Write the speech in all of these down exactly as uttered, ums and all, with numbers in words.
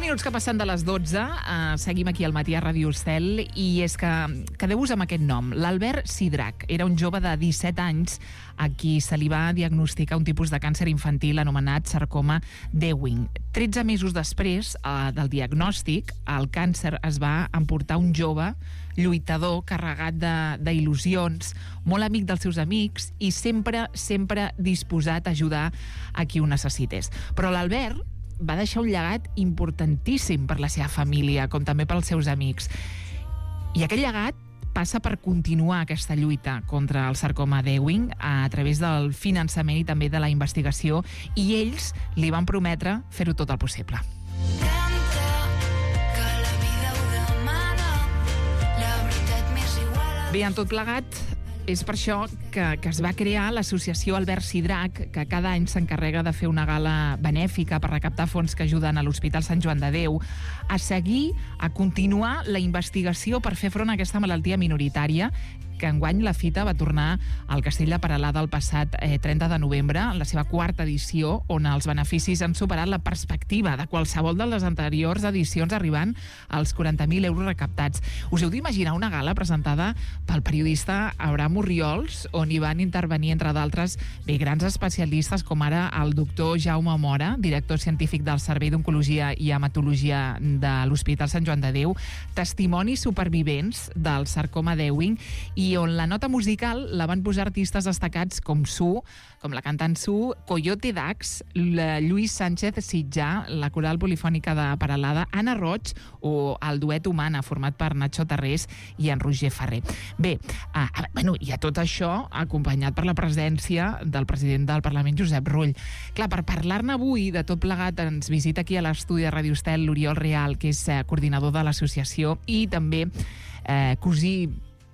minuts que passen de les dotze, uh, seguim aquí al matí a Ràdio Estel, i és que quedeu-vos amb aquest nom. L'Albert Sidrac era un jove de disset anys a qui se li va diagnosticar un tipus de càncer infantil anomenat sarcoma d'Ewing. tretze mesos després uh, del diagnòstic, el càncer es va emportar un jove lluitador, carregat d'il·lusions, molt amic dels seus amics i sempre, sempre disposat a ajudar a qui ho necessités. Però l'Albert va deixar un llegat importantíssim per la seva família, com també pels seus amics. I aquest llegat passa per continuar aquesta lluita contra el sarcoma d'Ewing a través del finançament i també de la investigació, i ells li van prometre fer-ho tot el possible. Bé, en tot plegat, és per això que, que es va crear l'associació Albert Sidrac, que cada any s'encarrega de fer una gala benèfica per recaptar fons que ajuden a l'Hospital Sant Joan de Déu a seguir, a continuar la investigació per fer front a aquesta malaltia minoritària, que enguany la fita va tornar al Castell de Peralada el passat eh, trenta de novembre, en la seva quarta edició, on els beneficis han superat la perspectiva de qualsevol de les anteriors edicions, arribant als quaranta mil euros recaptats. Us heu d'imaginar una gala presentada pel periodista Abraham Orriols, on hi van intervenir, entre d'altres, bé, grans especialistes, com ara el doctor Jaume Mora, director científic del Servei d'Oncologia i Hematologia de l'Hospital Sant Joan de Déu, testimonis supervivents del sarcoma d'Ewing, i i on la nota musical la van posar artistes destacats com Su, com la cantant Su, Coyote Dax, Lluís Sánchez Sitjà, la coral polifònica de Peralada, Anna Roig o el duet Humana, format per Nacho Tarrés i en Roger Ferrer. Bé, ah, bueno, i a tot això acompanyat per la presència del president del Parlament, Josep Rull. Clar, per parlar-ne avui de tot plegat ens visita aquí a l'estudi de Ràdio Estel l'Oriol Real, que és eh, coordinador de l'associació i també eh, cosí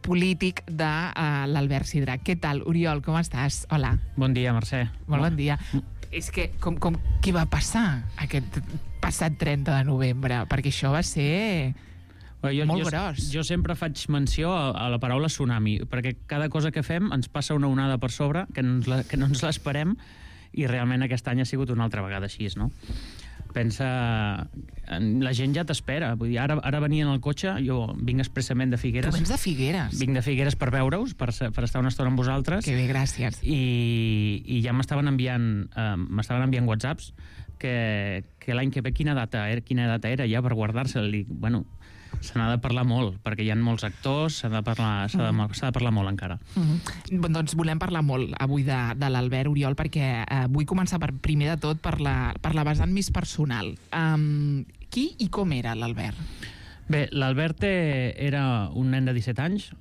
polític de uh, l'Albert Sidrac. Què tal, Oriol, com estàs? Hola. Bon dia, Mercè. Molt bon dia. És que, com, com, què va passar aquest passat trenta de novembre? Perquè això va ser bueno, jo, molt jo, gros. Jo sempre faig menció a, a la paraula tsunami, perquè cada cosa que fem ens passa una onada per sobre, que no ens la, que no ens l'esperem, i realment aquest any ha sigut una altra vegada així, no? Pensa, la gent ja t'espera. Vull dir, ara, ara venia en el cotxe, jo vinc expressament de Figueres. Tu vens de Figueres? Vinc de Figueres per veure-us, per, per estar una estona amb vosaltres. Que bé, gràcies. I, i ja m'estaven enviant, eh, m'estaven enviant whatsapps que, que l'any que ve quina data era, quina data era ja per guardar-se-li. Bueno, se n'ha de parlar molt, perquè hi ha molts actors, s'ha de parlar, s'ha de, s'ha de parlar molt encara. Mm-hmm. Doncs volem parlar molt avui de, de l'Albert, Oriol, perquè eh, vull començar per, primer de tot per la, per la vessant més personal. Um, qui i com era l'Albert? Bé, l'Albert era un nen de disset anys,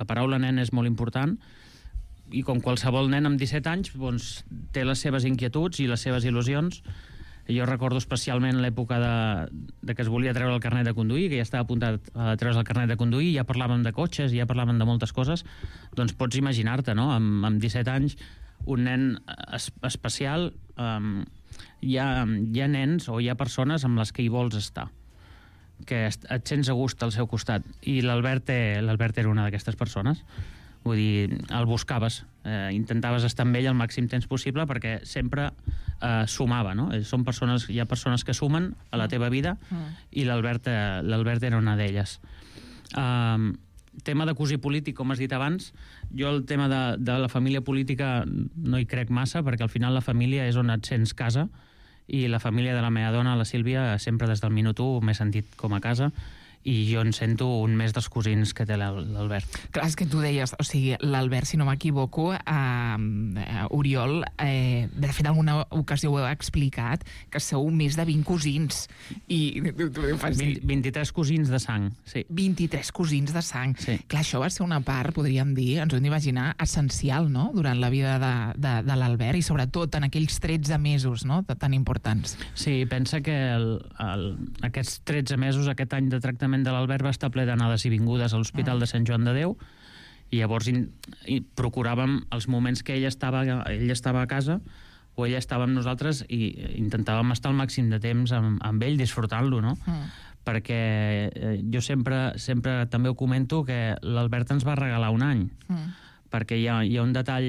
la paraula nen és molt important, i com qualsevol nen amb disset anys doncs, té les seves inquietuds i les seves il·lusions. Jo recordo especialment l'època de, de que es volia treure el carnet de conduir, que ja estava apuntat a treure's el carnet de conduir, ja parlàvem de cotxes, ja parlàvem de moltes coses. Doncs pots imaginar-te, no? Amb, amb disset anys, un nen es, especial, um, hi, ha, hi ha nens o hi ha persones amb les que hi vols estar, que et sents a gust al seu costat, i l'Albert l'Albert era una d'aquestes persones. Vull dir, el buscaves, eh, intentaves estar amb ell el màxim temps possible perquè sempre eh, sumava, no? Són persones, hi ha persones que sumen a la teva vida mm. i l'Albert eh, l'Albert era una d'elles. Um, tema de cosí polític, com has dit abans, jo el tema de, de la família política no hi crec massa, perquè al final la família és on et sents casa, i la família de la meva dona, la Sílvia, sempre des del minut u m'he sentit com a casa, i jo en sento un més dels cosins que té l'Albert. Clar, és que tu deies, o sigui, l'Albert, si no m'equivoco, eh, eh, Oriol, eh, de fet, en alguna ocasió ho heu explicat, que sou més de vint cosins. I tu, tu fas dir... vint-i-tres cosins de sang, sí. vint-i-tres cosins de sang. Sí. Clar, això va ser una part, podríem dir, ens ho hem d'imaginar, essencial, no?, durant la vida de, de, de l'Albert, i sobretot en aquells tretze mesos, no?, tan importants. Sí, pensa que el, el, aquests tretze mesos, aquest any de tractament de l'Albert va estar ple d'anades i vingudes a l'Hospital de Sant Joan de Déu, i llavors in, i procuràvem els moments que ell estava, ell estava a casa o ella estava amb nosaltres, i intentàvem estar el màxim de temps amb, amb ell, disfrutant-lo, no? Mm. Perquè eh, jo sempre, sempre també ho comento, que l'Albert ens va regalar un any, mm. perquè hi ha, hi ha un detall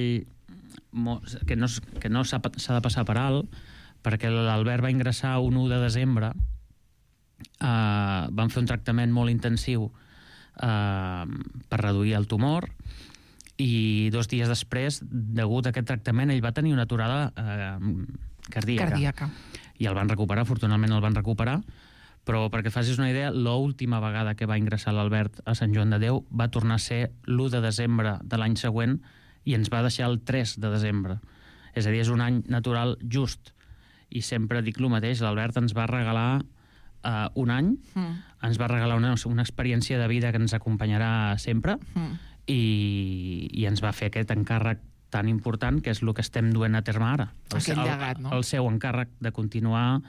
que no, que no s'ha de passar per alt, perquè l'Albert va ingressar un u de desembre Uh, van fer un tractament molt intensiu uh, per reduir el tumor, i dos dies després, degut a aquest tractament, ell va tenir una aturada uh, cardíaca. Cardíaca. I el van recuperar, afortunadament el van recuperar, però perquè et facis una idea, l'última vegada que va ingressar l'Albert a Sant Joan de Déu va tornar a ser l'u de desembre de l'any següent i ens va deixar el tres de desembre. És a dir, és un any natural just. I sempre dic el mateix, l'Albert ens va regalar Uh, un any, mm. ens va regalar una, una experiència de vida que ens acompanyarà sempre, mm. i, i ens va fer aquest encàrrec tan important, que és el que estem duent a terme ara. El, Aquest llegat, no? El seu encàrrec de continuar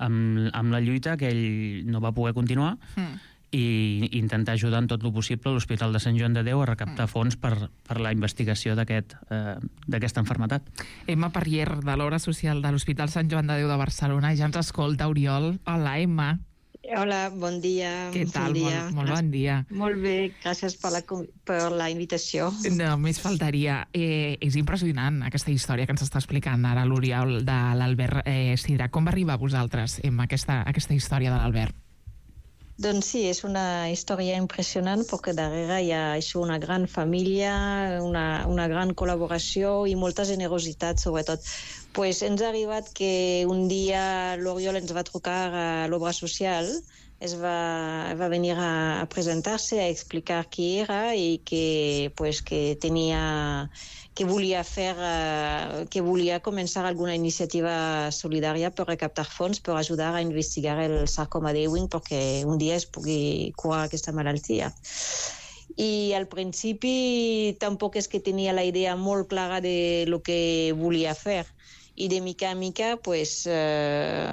amb, amb la lluita, que ell no va poder continuar, mm. i intentar ajudar en tot el possible l'Hospital de Sant Joan de Déu a recaptar mm. fons per, per la investigació d'aquest, eh, d'aquesta malaltia. Emma Parrier, de l'Obra Social de l'Hospital Sant Joan de Déu de Barcelona, ja ens escolta, Oriol. Hola, Emma. Hola, bon dia. Què tal? Bon dia. Molt, molt bon dia. Molt bé, gràcies per la, per la invitació. No, més faltaria. Eh, és impressionant aquesta història que ens està explicant ara l'Oriol de l'Albert eh, Sidra. Com va arribar a vosaltres, Emma, aquesta, aquesta història de l'Albert? Doncs sí, és una història impressionant perquè darrere hi ha això, una gran família, una, una gran col·laboració i molta generositat, sobretot. Pues ens ha arribat que un dia l'Oriol ens va trucar a l'Obra Social, es va, va venir a, a presentar-se, a explicar qui era i que, pues, que tenia... que volia fer, uh, que volia començar alguna iniciativa solidària per recaptar fons per ajudar a investigar el sarcoma d'Ewing perquè un dia es pugui curar aquesta malaltia. I al principi tampoc és que tenia la idea molt clara de lo que volia fer. I de mica en mica pues, eh,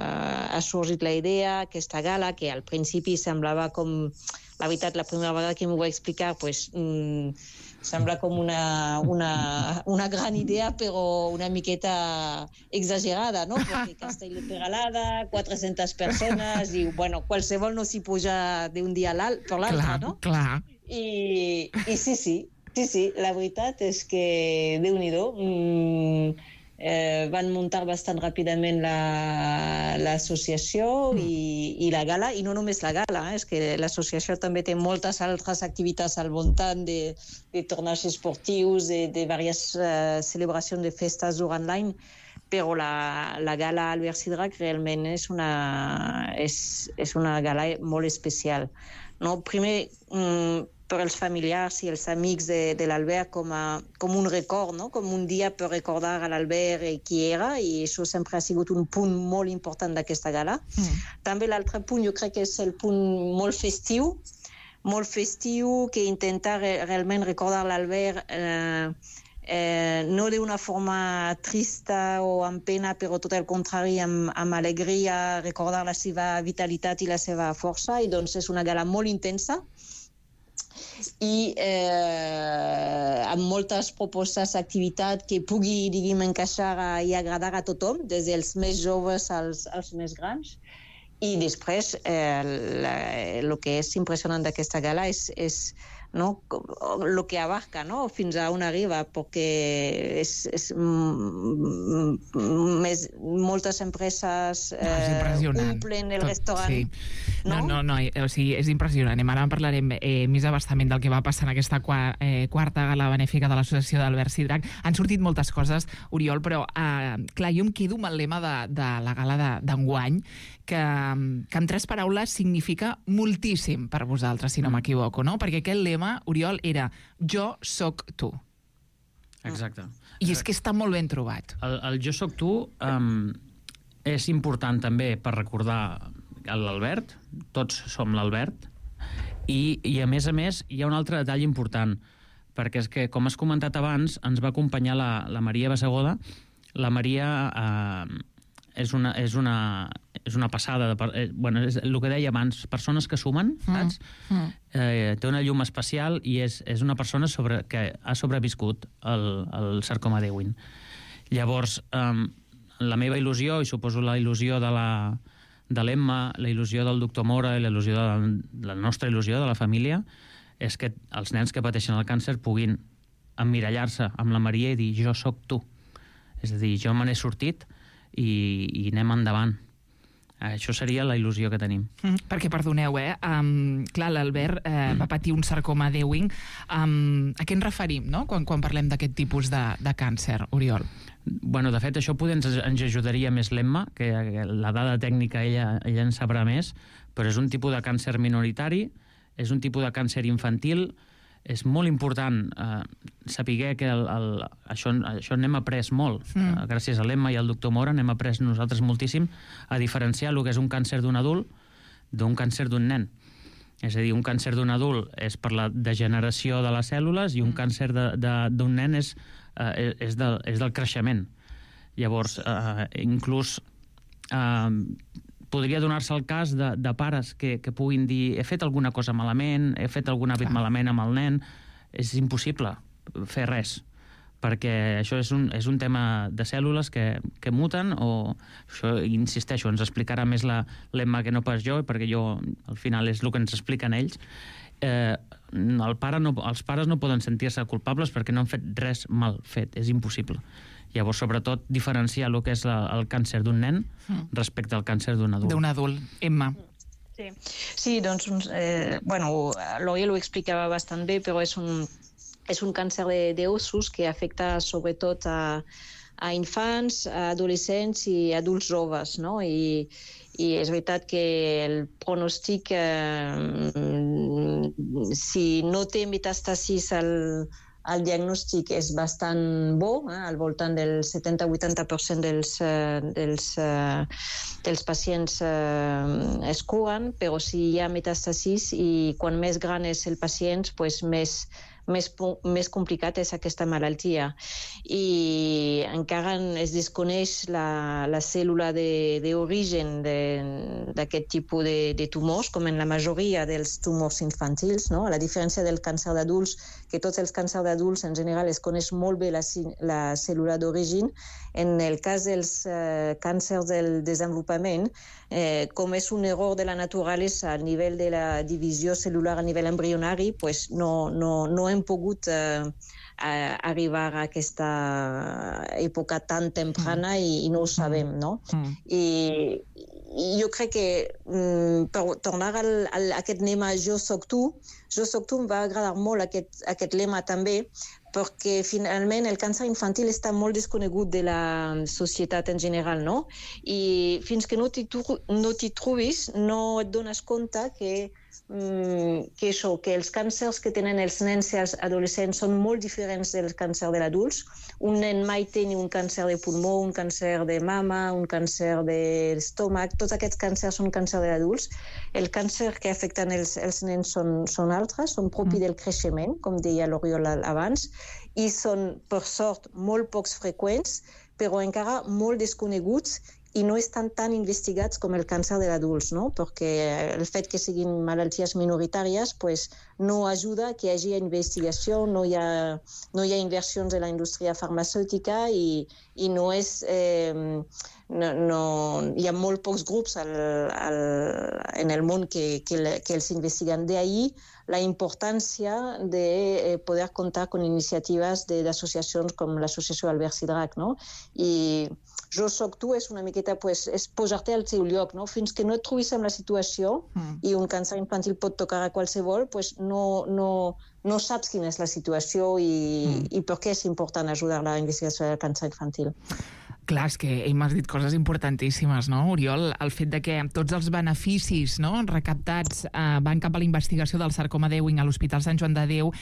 ha sorgit la idea, aquesta gala, que al principi semblava com... La veritat, la primera vegada que m'ho va explicar, pues, mm, sembla com una, una, una gran idea, però una miqueta exagerada, no? Perquè Castell de Peralada, quatre-centes persones, i bueno, qualsevol no s'hi puja d'un dia per l'altre, no? Clar, I, i sí, sí, sí, sí, la veritat és que Déu-n'hi-do, mm, Eh, van muntar bastant ràpidament l'associació la, i, i la gala, i no només la gala, eh, és que l'associació també té moltes altres activitats al voltant de, de torneigs esportius, de, de diverses uh, celebracions de festes durant l'any, però la, la gala Albert Sidrak realment és una, és, és una gala molt especial. No? Primer, mm, per als familiars i els amics de, de l'Albert com, a, com un record, no? Com un dia per recordar a l'Albert qui era, i això sempre ha sigut un punt molt important d'aquesta gala. Mm. També l'altre punt, jo crec que és el punt molt festiu, molt festiu, que intenta re, realment recordar l'Albert eh, eh, no d'una forma trista o amb pena, però tot el contrari, amb, amb alegria, recordar la seva vitalitat i la seva força, i doncs és una gala molt intensa, i eh, amb moltes propostes d'activitat que pugui, diguem, encaixar i agradar a tothom, des dels més joves als, als més grans. I després, eh, el que és impressionant d'aquesta gala és, és no, el que abarca, no, fins a on arriba, perquè és, és, mm, més, moltes empreses eh, omplen el restaurant. Sí. No, no, no, no, o sigui, és impressionant. Ara en parlarem eh, més abastament del que va passar en aquesta qua, eh, quarta gala benèfica de l'associació d'Albert Sidrak. Han sortit moltes coses, Oriol, però eh, clar, jo em quedo amb el lema de, de la gala d'enguany, que, que en tres paraules significa moltíssim per vosaltres, si no m'equivoco, no? Perquè aquest lema, Oriol, era jo soc tu. Exacte. I és que està molt ben trobat. El, el jo soc tu um, és important també per recordar l'Albert, tots som l'Albert, i, i a més a més hi ha un altre detall important, perquè és que, com has comentat abans, ens va acompanyar la, la Maria Bassegoda. La Maria eh, és, una, és, una, és una passada, de, eh, bueno, és el que deia abans, persones que sumen, saps? Mm, mm. Eh, té una llum especial i és, és una persona sobre, que ha sobreviscut el, el sarcoma d'Ewing. Llavors, eh, la meva il·lusió, i suposo la il·lusió de la de l'Emma, la il·lusió del doctor Mora i la, il·lusió de, la nostra il·lusió de la família, és que els nens que pateixen el càncer puguin emmirallar-se amb la Maria i dir jo sóc tu. És a dir, jo me n'he sortit i, i anem endavant. Això seria la il·lusió que tenim. Mm, perquè, perdoneu, eh? Um, clar, l'Albert eh, va patir un sarcoma de Ewing. Um, a què ens referim, no?, quan, quan parlem d'aquest tipus de, de càncer, Oriol? Bueno, de fet, això poder ens, ens ajudaria més l'Emma, que la dada tècnica ella, ella en sabrà més, però és un tipus de càncer minoritari, és un tipus de càncer infantil. És molt important eh, saber que el, el, això, això n'hem après molt. Mm. Eh, gràcies a l'Emma i al doctor Mora n'hem après nosaltres moltíssim a diferenciar el que és un càncer d'un adult d'un càncer d'un nen. És a dir, un càncer d'un adult és per la degeneració de les cèl·lules i un mm. càncer d'un nen és, eh, és, del, és del creixement. Llavors, eh, inclús eh, podria donar-se el cas de, de pares que, que puguin dir he fet alguna cosa malament, he fet algun hàbit Clar. malament amb el nen. És impossible fer res, perquè això és un, és un tema de cèl·lules que, que muten, o això, insisteixo, ens explicarà més la l'Emma que no pas jo, perquè jo al final és el que ens expliquen ells. Eh, el pare no, els pares no poden sentir-se culpables perquè no han fet res mal fet, és impossible. Llavors, sobretot, diferenciar el que és la, el càncer d'un nen respecte al càncer d'un adult. D'un adult. Emma. Sí, sí doncs, eh, bueno, l'Oriol ho explicava bastant bé, però és un, és un càncer d'ossos que afecta sobretot a, a infants, a adolescents i adults joves, no? I, i és veritat que el pronòstic, eh, si no té metàstasis al el diagnòstic és bastant bo, eh? Al voltant del setanta a vuitanta per cent dels, eh, dels, eh, dels pacients eh, es curen, però si hi ha metàstasis i quan més gran és el pacient, pues més, més, més complicat és aquesta malaltia. I encara es desconeix la, la cèl·lula d'origen d'aquest tipus de, de tumors, com en la majoria dels tumors infantils, no? A la diferència del càncer d'adults, que tots els càncers d'adults en general es coneix molt bé la, la cèl·lula d'origen. En el cas dels eh, càncers del desenvolupament, eh, com és un error de la naturalesa a nivell de la divisió cel·lular a nivell embrionari, pues no, no, no hem pogut eh, arribar a aquesta època tan temprana mm. i, i no ho sabem, no? Mm. I, I jo crec que mm, per tornar al, al, a aquest lema Jo soc tu, Jo soc tu em va agradar molt aquest, aquest lema també, perquè finalment el càncer infantil està molt desconegut de la societat en general, no? I fins que no t'hi no t'hi trobis, no et dones compte que que això, que els càncers que tenen els nens i els adolescents són molt diferents del càncer de l'adults. Un nen mai té ni un càncer de pulmó, un càncer de mama, un càncer de l'estómac, tots aquests càncers són càncer de l'adults. El càncer que afecten els, els nens són, són altres, són propi del creixement, com deia l'Oriol abans, i són, per sort, molt pocs freqüents, però encara molt desconeguts i no estan tan investigats com el càncer de l'adults, no? Perquè el fet que siguin malalties minoritàries pues, no ajuda que hi hagi investigació, no hi ha, no hi ha inversions de la indústria farmacèutica i, i no és... Eh, no, no, hi ha molt pocs grups al, al, en el món que, que, que els investiguen. De ahí la importància de poder comptar con iniciatives d'associacions com l'associació Albert Sidrac, no? I Jo soc tu és una miqueta pues, és posar-te al seu lloc, no? Fins que no et trobis en la situació mm. i un càncer infantil pot tocar a qualsevol, pues no, no, no saps quina és la situació i, mm. i per què és important ajudar la investigació del càncer infantil. Clar, és que hem dit coses importantíssimes, no, Oriol? El fet de que tots els beneficis, no, recaptats eh, van cap a la investigació del sarcoma d'Ewing a l'Hospital Sant Joan de Déu,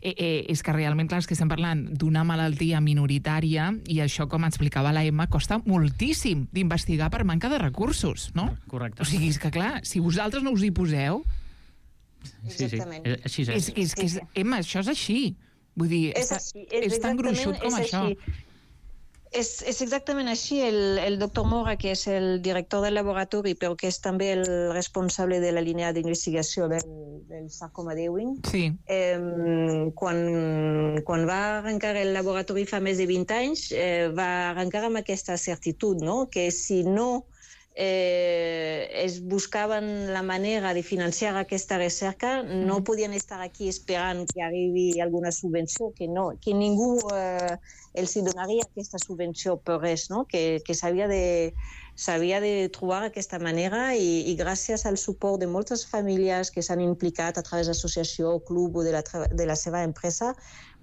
eh, eh, és que realment, clar, és que estem parlant d'una malaltia minoritària i això, com explicava la Emma, costa moltíssim d'investigar per manca de recursos, no? Correcte. O sigui, és que clar, si vosaltres no us hi poseu... Sí, sí, és, així és. És, és, que és, Emma, això és així. Vull dir, és, així, és, és tan gruixut com això. És, és exactament així. El, el doctor Mora, que és el director del laboratori, però que és també el responsable de la línia d'investigació del, del sarcoma d'Ewing, sí. eh, quan, quan va arrencar el laboratori fa més de vint anys, eh, va arrencar amb aquesta certitud, no? Que si no eh, es buscaven la manera de financiar aquesta recerca, no podien estar aquí esperant que arribi alguna subvenció, que, no, que ningú... Eh, els donaria aquesta subvenció per res, no? que, que s'havia de, s'havia de trobar aquesta manera i, i gràcies al suport de moltes famílies que s'han implicat a través d'associació, club o de la, de la seva empresa,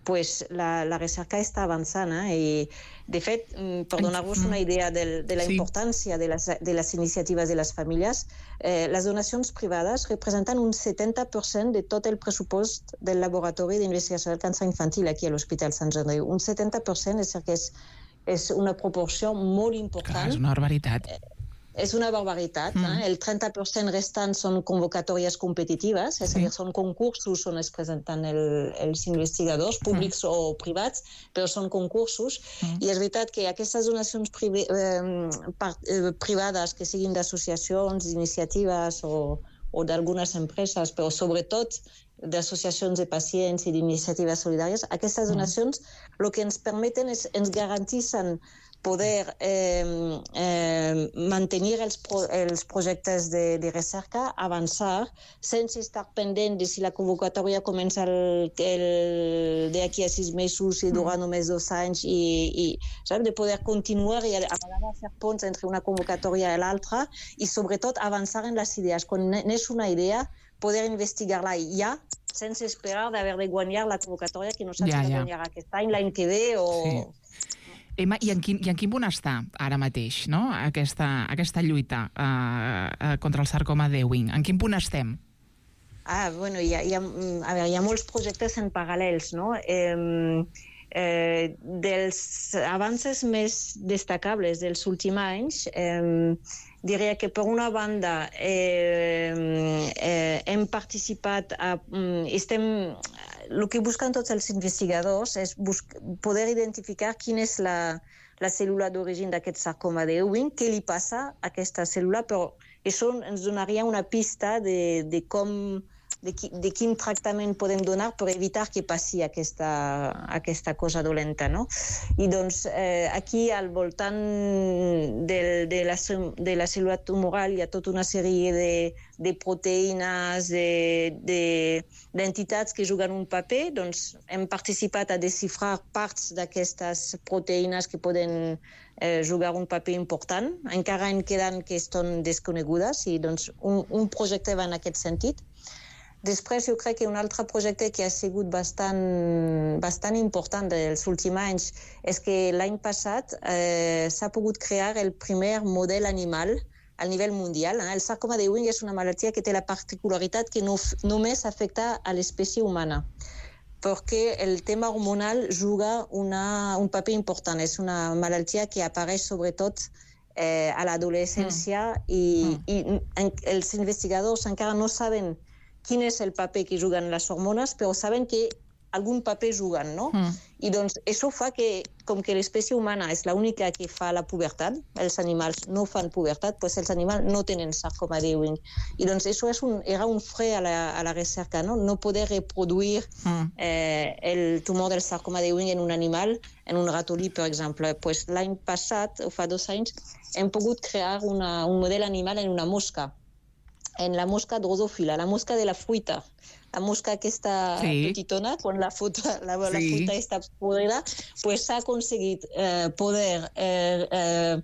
pues la, la recerca està avançant. Eh? I, de fet, per donar-vos una idea de, de la importància de les, de les iniciatives de les famílies, eh, les donacions privades representen un setanta per cent de tot el pressupost del Laboratori d'Investigació del Càncer Infantil aquí a l'Hospital Sant Andreu. Un setanta per cent, és a dir que és, és una proporció molt important. Clar, és una barbaritat. Eh, És una barbaritat. Mm. Eh? El trenta per cent restant són convocatòries competitives, és a dir, són concursos on es presenten el, els investigadors, públics mm. o privats, però són concursos. Mm. I és veritat que aquestes donacions privi, eh, part, eh, privades, que siguin d'associacions, d'iniciatives o, o d'algunes empreses, però sobretot d'associacions de pacients i d'iniciatives solidàries, aquestes donacions mm. el que ens permeten és, ens garantitzen poder eh, eh, mantenir els, pro, els projectes de, de recerca, avançar, sense estar pendent de si la convocatòria comença el, el, d'aquí a sis mesos i durant només dos anys, i, i saps, de poder continuar i a vegades fer ponts entre una convocatòria i l'altra, i sobretot avançar en les idees. Quan n'és una idea, poder investigar-la ja, sense esperar d'haver de guanyar la convocatòria, que no saps ja, ja. guanyar aquest any, l'any que ve, o... Sí. Emma, i en quin, i en quin punt està ara mateix, no? aquesta, aquesta lluita uh, uh, contra el sarcoma d'Ewing? En quin punt estem? Ah, bueno, hi ha, hi ha, a veure, hi ha molts projectes en paral·lels, no? Eh, eh, dels avances més destacables dels últims anys, eh, diria que per una banda eh, eh, hem participat, a, estem... El que busquen tots els investigadors és poder identificar quina és la, la cèl·lula d'origen d'aquest sarcoma d'Ewing, què li passa a aquesta cèl·lula, però això ens donaria una pista de, de com... De, qui, de quin tractament podem donar per evitar que passi aquesta, aquesta cosa dolenta, no? I doncs eh, aquí al voltant de, de, la, de la cèl·lula tumoral hi ha tota una sèrie de, de proteïnes, d'entitats de, que juguen un paper. Doncs hem participat a desxifrar parts d'aquestes proteïnes que poden eh, jugar un paper important. Encara en queden que estan desconegudes i doncs un, un projecte va en aquest sentit. Després, jo crec que un altre projecte que ha sigut bastant, bastant important dels últims anys és que l'any passat eh, s'ha pogut crear el primer model animal a nivell mundial. Eh? El sarcoma d'Ewing és una malaltia que té la particularitat que no, només afecta a l'espècie humana, perquè el tema hormonal juga una, un paper important. És una malaltia que apareix sobretot eh, a l'adolescència mm. i, mm. i en, els investigadors encara no saben quin és el paper que juguen les hormones, però saben que algun paper juguen, no? Mm. I doncs això fa que, com que l'espècie humana és l'única que fa la pubertat, els animals no fan pubertat, doncs els animals no tenen sarcoma d'Ewing. I doncs això és un, era un fre a la, a la recerca, no? No poder reproduir mm. eh, el tumor del sarcoma d'Ewing en un animal, en un ratolí, per exemple. Pues l'any passat, o fa dos anys, hem pogut crear una, un model animal en una mosca, en la mosca drosòfila, la mosca de la fruita. La mosca aquesta sí. petitona, quan la fruta, la, sí. la fruta està podrida, pues s'ha aconseguit eh, poder eh, eh,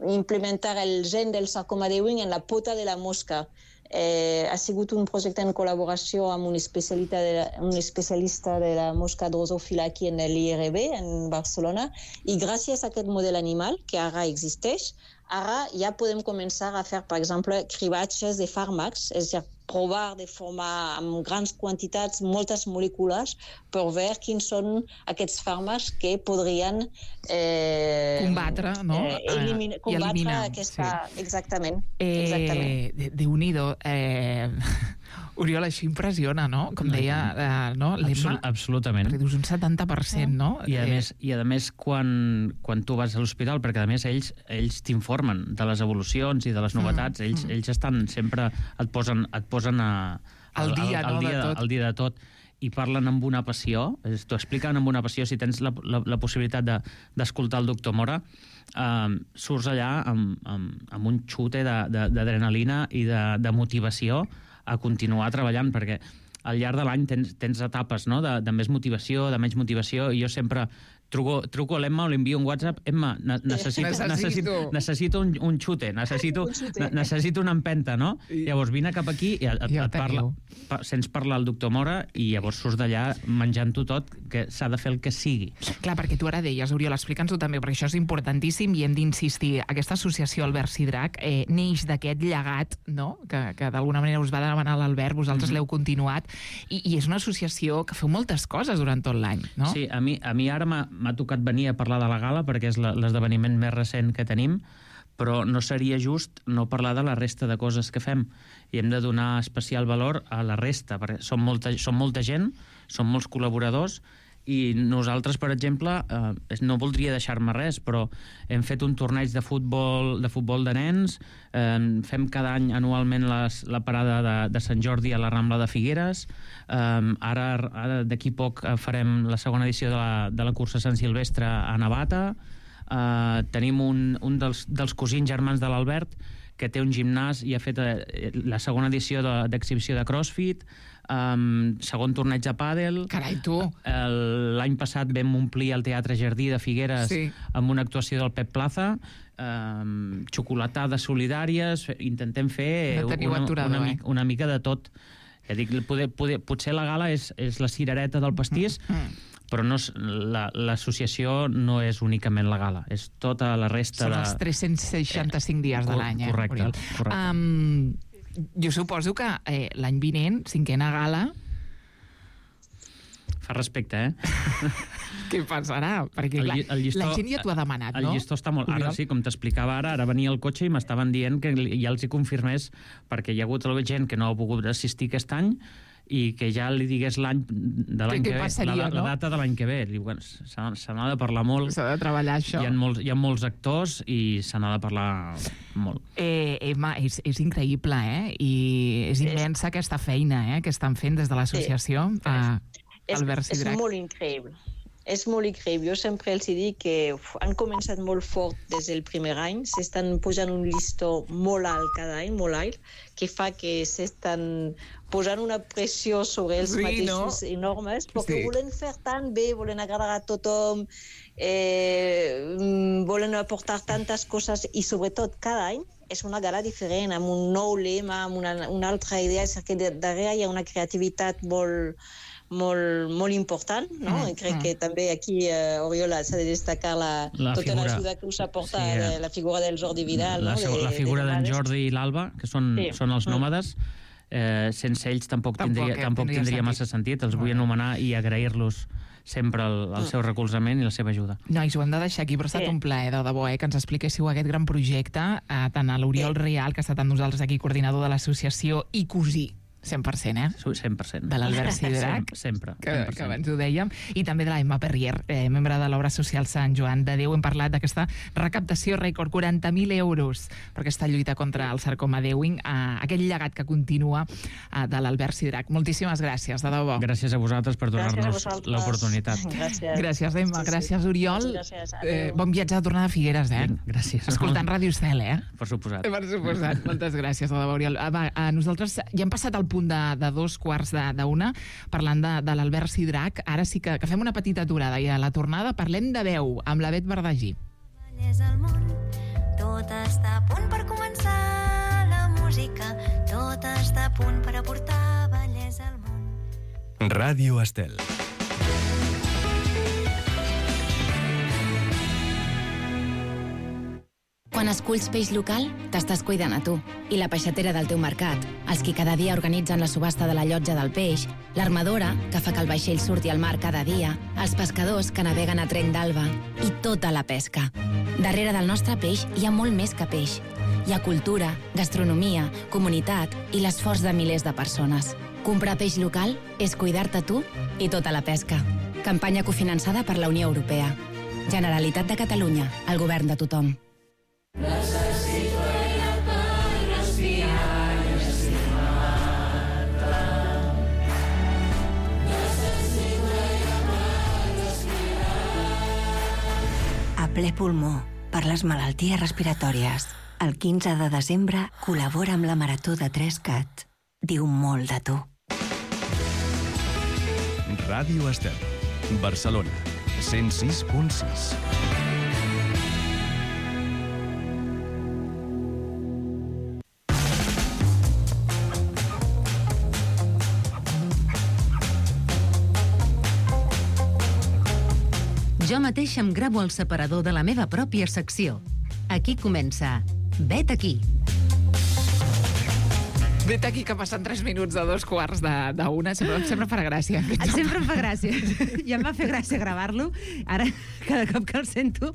implementar el gen del sarcoma d'Ewing en la pota de la mosca. Eh, ha sigut un projecte en col·laboració amb un especialista de la, un especialista de la mosca drosòfila aquí en l'I R B, en Barcelona, i gràcies a aquest model animal, que ara existeix, ara ja podem començar a fer, per exemple, cribatges de fàrmacs, és a dir, provar de formar amb grans quantitats moltes molècules per veure quins són aquests fàrmacs que podrien eh, combatre, no? Eh, elimina, combatre eliminar, aquesta... Sí. Exactament. Eh, exactament. Déu-n'hi-do. Eh, Oriol, això impressiona, no? Com deia, eh, no? Absol absolutament. Reduç un setanta per cent, no? I a, eh... més, i a més, quan, quan tu vas a l'hospital, perquè a més ells ells t'informen de les evolucions i de les novetats, mm. ells, mm. ells estan sempre, et posen, et posen a, al dia, al, al, no, dia, de tot. al dia de tot, i parlen amb una passió, t'ho expliquen amb una passió. Si tens la, la, la possibilitat d'escoltar de, el doctor Mora, eh, surts allà amb, amb, amb un xute d'adrenalina i de, de motivació a continuar treballant, perquè al llarg de l'any tens, tens etapes, no? de, de més motivació, de menys motivació, i jo sempre truco, truco a l'Emma o li envio un WhatsApp. Emma, necessito, Necessito. necessito, necessito un, un xute, necessito, Un xute. ne- necessito una empenta, no? I- Llavors vine cap aquí i et, I el et parla, teniu. pa, sents parlar el doctor Mora i llavors surts d'allà menjant-ho tot, que s'ha de fer el que sigui. Clar, perquè tu ara deies, Oriol, explica'ns-ho també, perquè això és importantíssim i hem d'insistir. Aquesta associació Albert Sidrac eh, neix d'aquest llegat, no?, que, que d'alguna manera us va demanar l'Albert, vosaltres Mhm. l'heu continuat, i, i és una associació que feu moltes coses durant tot l'any, no? Sí, a mi, a mi ara m'ha m'ha tocat venir a parlar de la gala perquè és la- l'esdeveniment més recent que tenim, però no seria just no parlar de la resta de coses que fem i hem de donar especial valor a la resta, perquè som molta, som molta gent, som molts col·laboradors i nosaltres, per exemple, eh, no voldria deixar-me res, però hem fet un torneig de futbol de, futbol de nens, eh, fem cada any anualment les, la parada de, de Sant Jordi a la Rambla de Figueres, eh, ara, ara d'aquí poc eh, farem la segona edició de la, de la cursa Sant Silvestre a Navata, eh, tenim un, un dels, dels cosins germans de l'Albert que té un gimnàs i ha fet eh, la segona edició de- d'exhibició de, de CrossFit, um, segon torneig de pàdel. Carai, tu! El- L'any passat vam omplir el Teatre Jardí de Figueres Sí. amb una actuació del Pep Plaza, um, xocolatades solidàries, fe- intentem fer No teniu una, aturador, una, eh? mica, una mica de tot. Ja dic, poder, poder, potser la gala és, és la cirereta del pastís, Mm. però no és, la, l'associació no és únicament la gala, és tota la resta Són de... els tres-cents seixanta-cinc dies de cor- l'any, eh, correcte, Oriol? correcte. Um, jo suposo que eh, l'any vinent, cinquena gala, Fa respecte, eh? què passarà? Perquè El clar, lli- el llistó- la gent ja t'ho ha demanat, El no? llistó està molt... Ara Oriol? sí, com t'explicava ara, ara venia el cotxe i m'estaven dient que li- ja els hi confirmés, perquè hi ha hagut gent que no ha pogut assistir aquest any i que ja li digués l'any de l'any què que ve, passaria, la, la no? data de l'any que ve. Diu, bueno, se n'ha se n'ha de parlar molt, S'ha de treballar això. hi ha, molts, hi ha molts actors i se n'ha de parlar molt. Eh, Emma, és, és increïble, eh? I és immensa aquesta feina, eh?, que estan fent des de l'associació Sí. a És, Albert és Sidrac. molt increïble. És molt increïble. Jo sempre els dic que uf, han començat molt fort des del primer any, s'estan posant un llistó molt alt cada any, molt alt, que fa que s'estan posant una pressió sobre els Sí, mateixos no? enormes, perquè Sí. volen fer tan bé, volen agradar a tothom, eh, mm, volen aportar tantes coses i sobretot cada any és una gala diferent, amb un nou lema, amb una, una altra idea, és que darrere hi ha una creativitat molt molt, molt important, no? Mm, I crec mm. que també aquí, eh, Oriola, s'ha de destacar la, La tota figura- l'ajuda que us aporta Sí, eh. sí, la figura del Jordi Vidal, la, no? seg- De- la figura de d'en Nòmades. Jordi i l'Alba, que són, Sí. són els Mm. nòmades, eh, sense ells tampoc, Tampoc, tindria, eh, tampoc tindria tindria sentit. massa sentit. Els vull Molt bé. anomenar i agrair-los sempre el, el Mm. seu recolzament i la seva ajuda. Nois, ho hem de deixar aquí, però ha estat Sí. un plaer, de debò, eh, que ens expliquéssiu aquest gran projecte, eh, tant a l'Oriol Sí. Rial, que ha estat amb nosaltres aquí, coordinador de l'associació, i cosí, cent per cent, eh? cent per cent. De l'Albert Sidrac. Sempre, sempre. Que, cent per que cent. abans ho dèiem, i també de la Emma Perrier, eh, membre de l'Obra Social Sant Joan de Déu. Hem parlat d'aquesta recaptació rècord, quaranta mil euros, per aquesta lluita contra el sarcoma d'Ewing, eh, aquell llegat que continua eh, de l'Albert Sidrac. Moltíssimes gràcies, de debò. Gràcies a vosaltres per Gràcies a donar-nos vosaltres. l'oportunitat. Gràcies. Gràcies, Emma. Sí, sí. Gràcies, Oriol. Moltes gràcies. Eh, Adéu. bon viatge de tornada a Figueres, eh? Vinga, gràcies. Escoltant Ràdio Estel, eh? Per suposat. Per suposat. Moltes gràcies, de debò, Oriol. Ah, va, a nosaltres ja hem passat al punt de, de dos quarts de, d'una, parlant de, de l'Albert Sidrac. Ara sí que, que fem una petita aturada i a la tornada parlem de veu amb la Bet Verdagí. És el món, tot està a punt per començar la música, tot està a punt per aportar bellesa al món. Ràdio Estel. Quan esculls peix local, t'estàs cuidant a tu. I la peixatera del teu mercat, els qui cada dia organitzen la subhasta de la llotja del peix, l'armadora, que fa que el vaixell surti al mar cada dia, els pescadors que naveguen a trenc d'alba i tota la pesca. Darrere del nostre peix hi ha molt més que peix. Hi ha cultura, gastronomia, comunitat i l'esforç de milers de persones. Comprar peix local és cuidar-te tu i tota la pesca. Campanya cofinançada per la Unió Europea. Generalitat de Catalunya, el govern de tothom. A ple pulmó, per les malalties respiratòries. El quinze de desembre col·labora amb la Marató de tres cat. Diu molt de tu. Ràdio Estel. Barcelona. cent sis punt sis. Jo mateix em gravo el separador de la meva pròpia secció. Aquí comença Vet aquí. Vet aquí, que passen tres minuts de dos quarts d'una. Sempre, sempre farà gràcia. Sempre em fa gràcia. Ja em va fer gràcia gravar-lo. Ara, cada cop que el sento...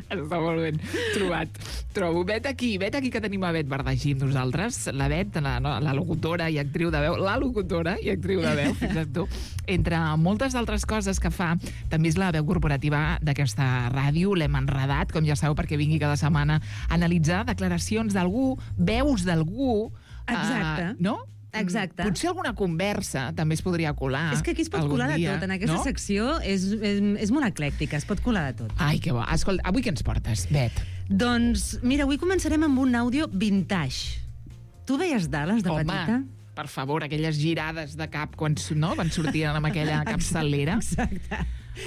Està molt ben trobat. Trobo. Vet aquí, vet aquí que tenim a Bet Verdagí amb nosaltres. La Bet, la, no, la locutora i actriu de veu, la locutora i actriu de veu, fixa't tu. Entre moltes altres coses que fa, també és la veu corporativa d'aquesta ràdio. L'hem enredat, com ja sabeu, perquè vingui cada setmana a analitzar declaracions d'algú, veus d'algú... Exacte. Uh, no? Exacte. Potser alguna conversa també es podria colar. És que aquí es pot colar de dia, tot. En aquesta no? secció és, és, és molt eclèctica, es pot colar de tot. Ai, que bo. Escolta, avui què ens portes, Bet? Doncs, mira, avui començarem amb un àudio vintage. Tu veies Dallas de Home, petita? per favor, aquelles girades de cap quan, no, van sortint amb aquella capçalera. Exacte.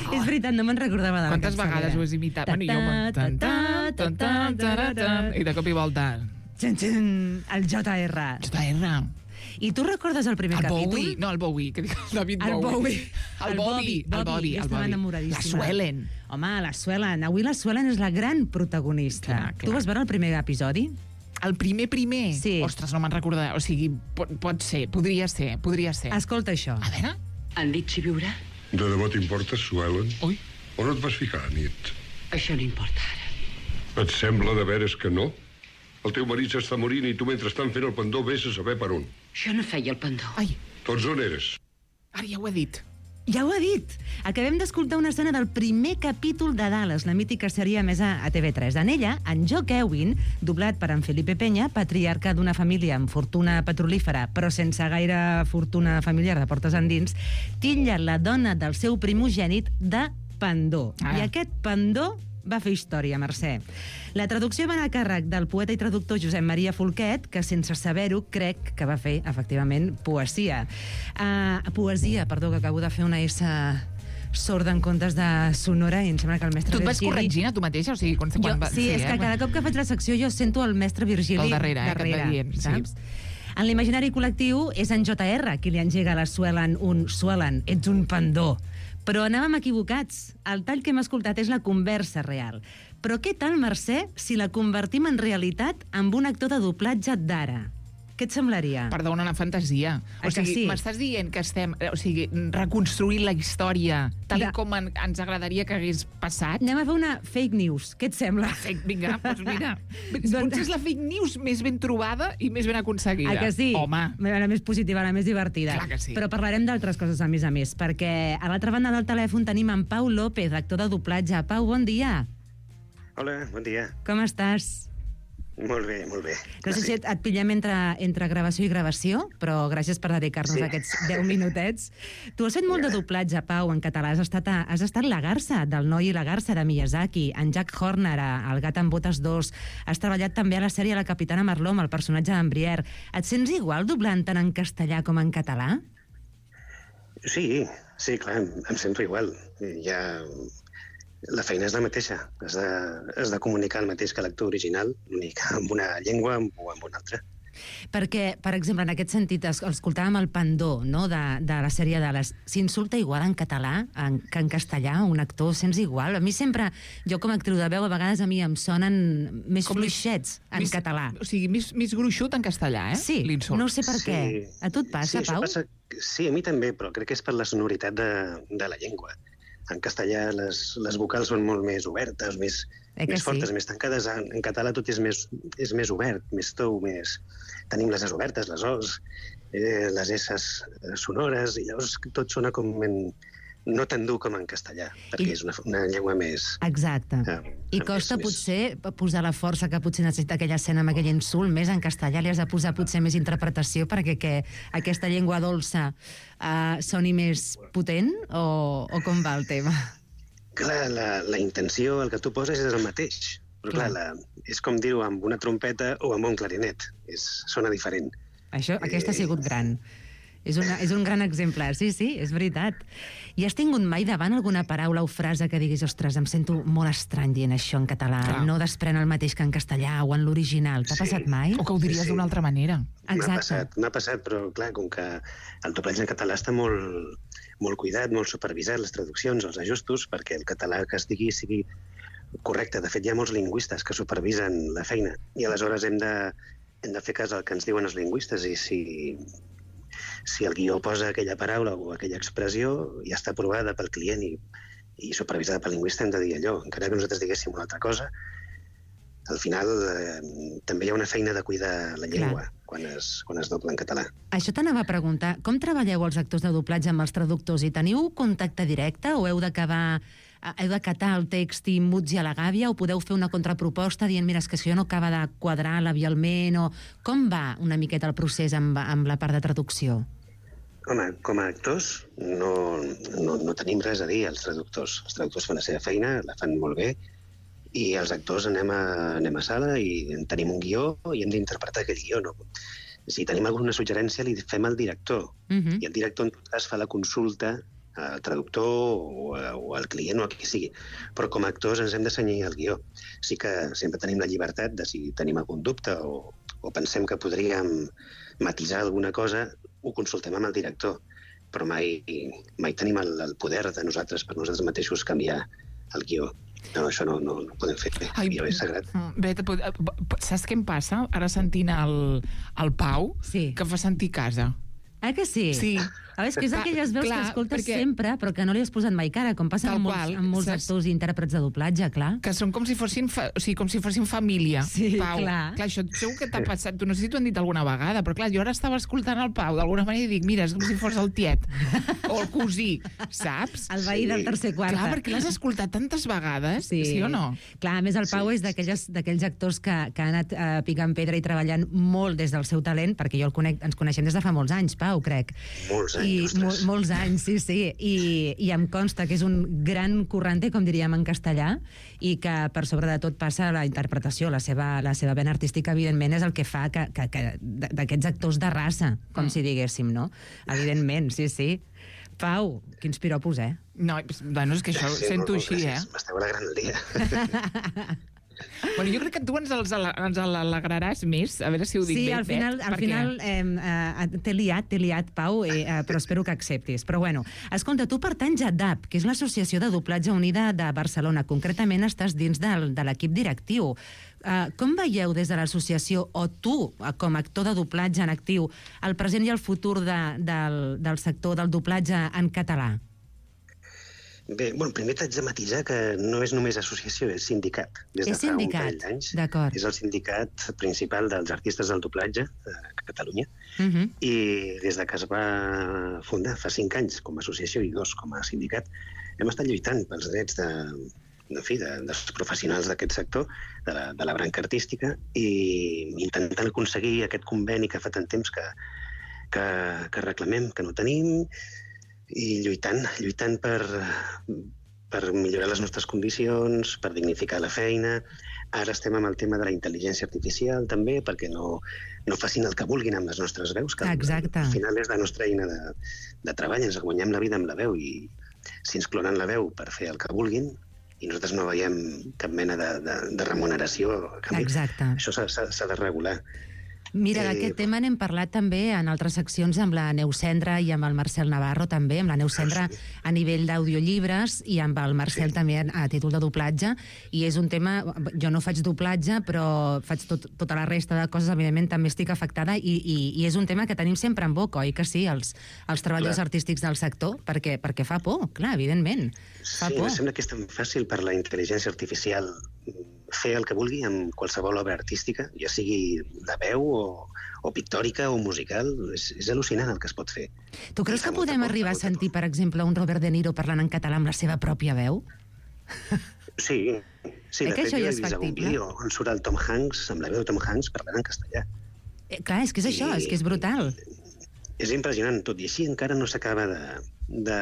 Oh. És veritat, no me'n recordava de la Quantes capçalera. vegades ho has imitat? Bueno, jo me'n... Tan, tan, tan, tan, tan, tan, i de cop i volta... Txin, txin, el J R. J R. I tu recordes el primer el capítol? Bowie? No, el Bowie, que dic el David el Bowie. Bowie. El Bobby, el Bobby, el estava Bobby. enamoradíssima. La Suelen. Home, la Suelen. Avui la Suelen és la gran protagonista. Clar, clar. Tu vas veure el primer episodi? El primer primer? Sí. Ostres, no me'n recordaré. O sigui, pot, pot ser, podria ser, podria ser. Escolta això. A veure. Han dit si viurà? De debò t'importa, Suelen? Ui. On et vas ficar, nit? Això no importa ara. Et sembla de veres que no? El teu marit s'està morint i tu mentrestant fent el pendó vés a saber per on. Jo no feia el pendó. Ai. Tots on eres? Ara ja ho he dit. Ja ho ha dit. Acabem d'escoltar una escena del primer capítol de Dallas, la mítica sèrie emesa a T V tres. En ella, en Jock Ewing, doblat per en Felipe Peña, patriarca d'una família amb fortuna petrolífera, però sense gaire fortuna familiar de portes endins, titlla la dona del seu primogènit de pendó. Ah. I aquest pendó va fer història, Mercè. La traducció va anar a càrrec del poeta i traductor Josep Maria Folquet, que sense saber-ho crec que va fer, efectivament, poesia. Uh, poesia, perdó, que acabo de fer una S sorda en comptes de sonora i em sembla que el mestre Tu et vas Virgili... corregint a tu mateixa? O sigui, quan, Jo, quan va... sí, és eh? que cada cop que faig la secció jo sento el mestre Virgili Al darrere, eh, que et va darrere, dient, sí. saps? En l'imaginari col·lectiu és en J R qui li engega a la Suelen un Suelen, ets un pendó. Però anàvem equivocats. El tall que hem escoltat és la conversa real. Però què tal, Mercè, si la convertim en realitat amb un actor de doblatge d'ara? Què et semblaria? Perdona, una fantasia. Ah, O que sigui, sí? m'estàs dient que estem o sigui, reconstruint la història tal De- com en, ens agradaria que hagués passat? Anem a fer una fake news. Què et sembla? Fake, vinga, doncs mira. Doncs- Potser és la fake news més ben trobada i més ben aconseguida. Ah, que sí? Home. La més positiva, la més divertida. Clar que sí. Però parlarem d'altres coses, a més a més, perquè a l'altra banda del telèfon tenim en Pau López, actor de doblatge. Pau, bon dia. Hola, bon dia. Com estàs? Molt bé, molt bé. No sé si et, et pillem entre, entre gravació i gravació, però gràcies per dedicar-nos Sí. aquests deu minutets. Tu has fet molt de doblatge, Pau, en català. Has estat, a, has estat la garça, del Noi i la garça, de Miyazaki, en Jack Horner, a El gat amb botes dos. Has treballat també a la sèrie La capitana Marló, amb el personatge d'en Brière. Et sents igual doblant tant en castellà com en català? Sí, sí, clar, em, em sento igual. Ja... La feina és la mateixa. Has de, has de comunicar el mateix que l'actor original, l'únic amb una llengua o amb una altra. Perquè, per exemple, en aquest sentit, es- escoltàvem el Pandó, no?, de, de la sèrie de les... S'insulta igual en català en, que en castellà, un actor, sents igual? A mi sempre, jo com a actriu de veu, a vegades a mi em sonen més Com més- fluixets en més- català. O sigui, més, més gruixut en castellà, eh? Sí, L'insult. no sé per què. A tu et passa, sí, això Pau? Passa, sí, a mi també, però crec que és per la sonoritat de, de la llengua. En castellà les, les vocals són molt més obertes, més, Eh que més fortes, sí? més tancades. En, en català tot és més, és més obert, més tou, més... Tenim les es obertes, les os, eh, les esses sonores, i llavors tot sona com en, no tan dur com en castellà, perquè I- és una, una llengua més... Exacte. eh, I més- costa més- potser posar la força que potser necessita aquella escena amb aquell insult, més en castellà li has de posar potser més interpretació perquè que aquesta llengua dolça uh, soni més potent, o, o com va el tema? Clar, la, la intenció, el que tu poses és el mateix. Però clar, la, és com dir-ho amb una trompeta o amb un clarinet. És, sona diferent. Això, aquesta ha sigut gran. És, una, és un gran exemple, sí, sí, és veritat. I has tingut mai davant alguna paraula o frase que diguis, ostres, em sento molt estrany dient això en català, clar. No desprèn el mateix que en castellà o en l'original. T'ha sí. passat mai? O que ho diries sí, sí. d'una altra manera. M'ha passat, m'ha passat, però clar, com que el doblatge en català està molt, molt cuidat, molt supervisat, les traduccions, els ajustos, perquè el català que es digui sigui correcte. De fet, hi ha molts lingüistes que supervisen la feina i aleshores hem de, hem de fer cas al que ens diuen els lingüistes i si... si el guió posa aquella paraula o aquella expressió, ja està aprovada pel client i, i supervisada pel lingüista, hem de dir allò. Encara que nosaltres diguéssim una altra cosa, al final eh, també hi ha una feina de cuidar la llengua quan es, quan es dobla en català. Això t'anava a preguntar. Com treballeu els actors de doblatge amb els traductors? I teniu contacte directe o heu d'acabar... heu d'acatar el text i muts i a la gàbia o podeu fer una contraproposta dient mira, és que això no acaba de quadrar labialment o... Com va una miqueta el procés amb, amb la part de traducció? Home, com a actors no, no, no tenim res a dir als traductors. Els traductors fan la seva feina, la fan molt bé i els actors anem a, anem a sala i tenim un guió i hem d'interpretar aquell guió. No? Si tenim alguna suggerència li fem al director uh-huh. i el director en tot cas fa la consulta al traductor o, o al client o a qui sigui. Però com a actors ens hem de cenyir al guió. Sí que sempre tenim la llibertat de si tenim algun dubte o, o pensem que podríem matisar alguna cosa, ho consultem amb el director. Però mai, mai tenim el, el poder de nosaltres per nosaltres mateixos canviar el guió. No, això no, no, no ho podem fer. El guió és sagrat. Bet, saps què em passa? Ara sentint el, el Pau, sí. que fa sentir casa. Ah, que sí? Sí. A veure, és que és d'aquelles veus clar, que escoltes perquè... sempre, però que no li has posat mai cara, com passa amb molts, qual, amb molts saps? actors i intèrprets de doblatge, clar. Que són com si fossin, fa... o sigui, com si fossin família, sí, Pau. Clar. Clar, això segur que t'ha passat, tu no sé si t'ho han dit alguna vegada, però clar, jo ara estava escoltant el Pau d'alguna manera i dic, mira, és com si fos el tiet, o el cosí, saps? El veí sí. del tercer quart. Clar, perquè l'has escoltat tantes vegades, sí, sí o no? Clar, a més el Pau sí. és d'aquells actors que, que ha anat uh, picant pedra i treballant molt des del seu talent, perquè jo el conec, ens coneixem des de fa molts anys, Pau, crec. Molts anys, I, mo molts anys, sí, sí. I, I em consta que és un gran currante, com diríem en castellà, i que per sobre de tot passa la interpretació, la seva, la seva vena artística, evidentment, és el que fa que, que, que d'aquests actors de raça, com mm. si diguéssim, no? Evidentment, sí, sí. Pau, quins piropos, eh? No, bueno, és que això sí, ho sento no, no, així, gràcies. eh? M'esteu alegrant el dia. Bueno, jo crec que tu ens els ens alegraràs més, a veure si ho dic sí, bé. Sí, al final, Bet, al final eh, eh, t'he liat, t'he liat, Pau, eh, eh, però espero que acceptis. Però bueno, escolta, tu pertanys a D A B, que és l'Associació de Doblatge Unida de Barcelona. Concretament estàs dins del, de l'equip directiu. Uh, com veieu des de l'associació, o tu, com a actor de doblatge en actiu, el present i el futur de, del, del sector del doblatge en català? Bé, bueno, primer t'haig de matisar que no és només associació, és sindicat. Des de és sindicat, d'acord. És el sindicat principal dels artistes del doblatge a Catalunya. Uh -huh. I des de que es va fundar fa cinc anys com a associació i dos com a sindicat, hem estat lluitant pels drets de, en fi, de, dels professionals d'aquest sector, de la, de la branca artística, i intentant aconseguir aquest conveni que fa tant temps que, que, que reclamem, que no tenim, i lluitant, lluitant per, per millorar les nostres condicions, per dignificar la feina. Ara estem amb el tema de la intel·ligència artificial, també, perquè no, no facin el que vulguin amb les nostres veus, que exacte. Al final és la nostra eina de, de treball, ens guanyem la vida amb la veu, i si ens clonen la veu per fer el que vulguin, i nosaltres no veiem cap mena de, de, de remuneració a canvi, exacte. Això s'ha de regular. Mira, d'aquest tema n'hem parlat també en altres seccions amb la Neus Cendra i amb el Marcel Navarro també, amb la Neus Cendra a nivell d'audiollibres i amb el Marcel sí. també a títol de doblatge, i és un tema, jo no faig doblatge però faig tot, tota la resta de coses, evidentment també estic afectada, i, i, i és un tema que tenim sempre en boca, oi que sí, els, els treballadors clar. artístics del sector, perquè, perquè fa por, clar, evidentment, fa sí, por. Em sembla que és tan fàcil per la intel·ligència artificial fer el que vulgui amb qualsevol obra artística, ja sigui de veu o, o pictòrica o musical. És, és al·lucinant el que es pot fer. Tu creus que podem arribar a sentir, per exemple, un Robert De Niro parlant en català amb la seva pròpia veu? Sí, sí, eh de fet jo he és vist algun vídeo on surt el Tom Hanks, amb la veu de Tom Hanks parlant en castellà. Eh, clar, és que és I, això, és que és brutal. És impressionant, tot i així encara no s'acaba de, de,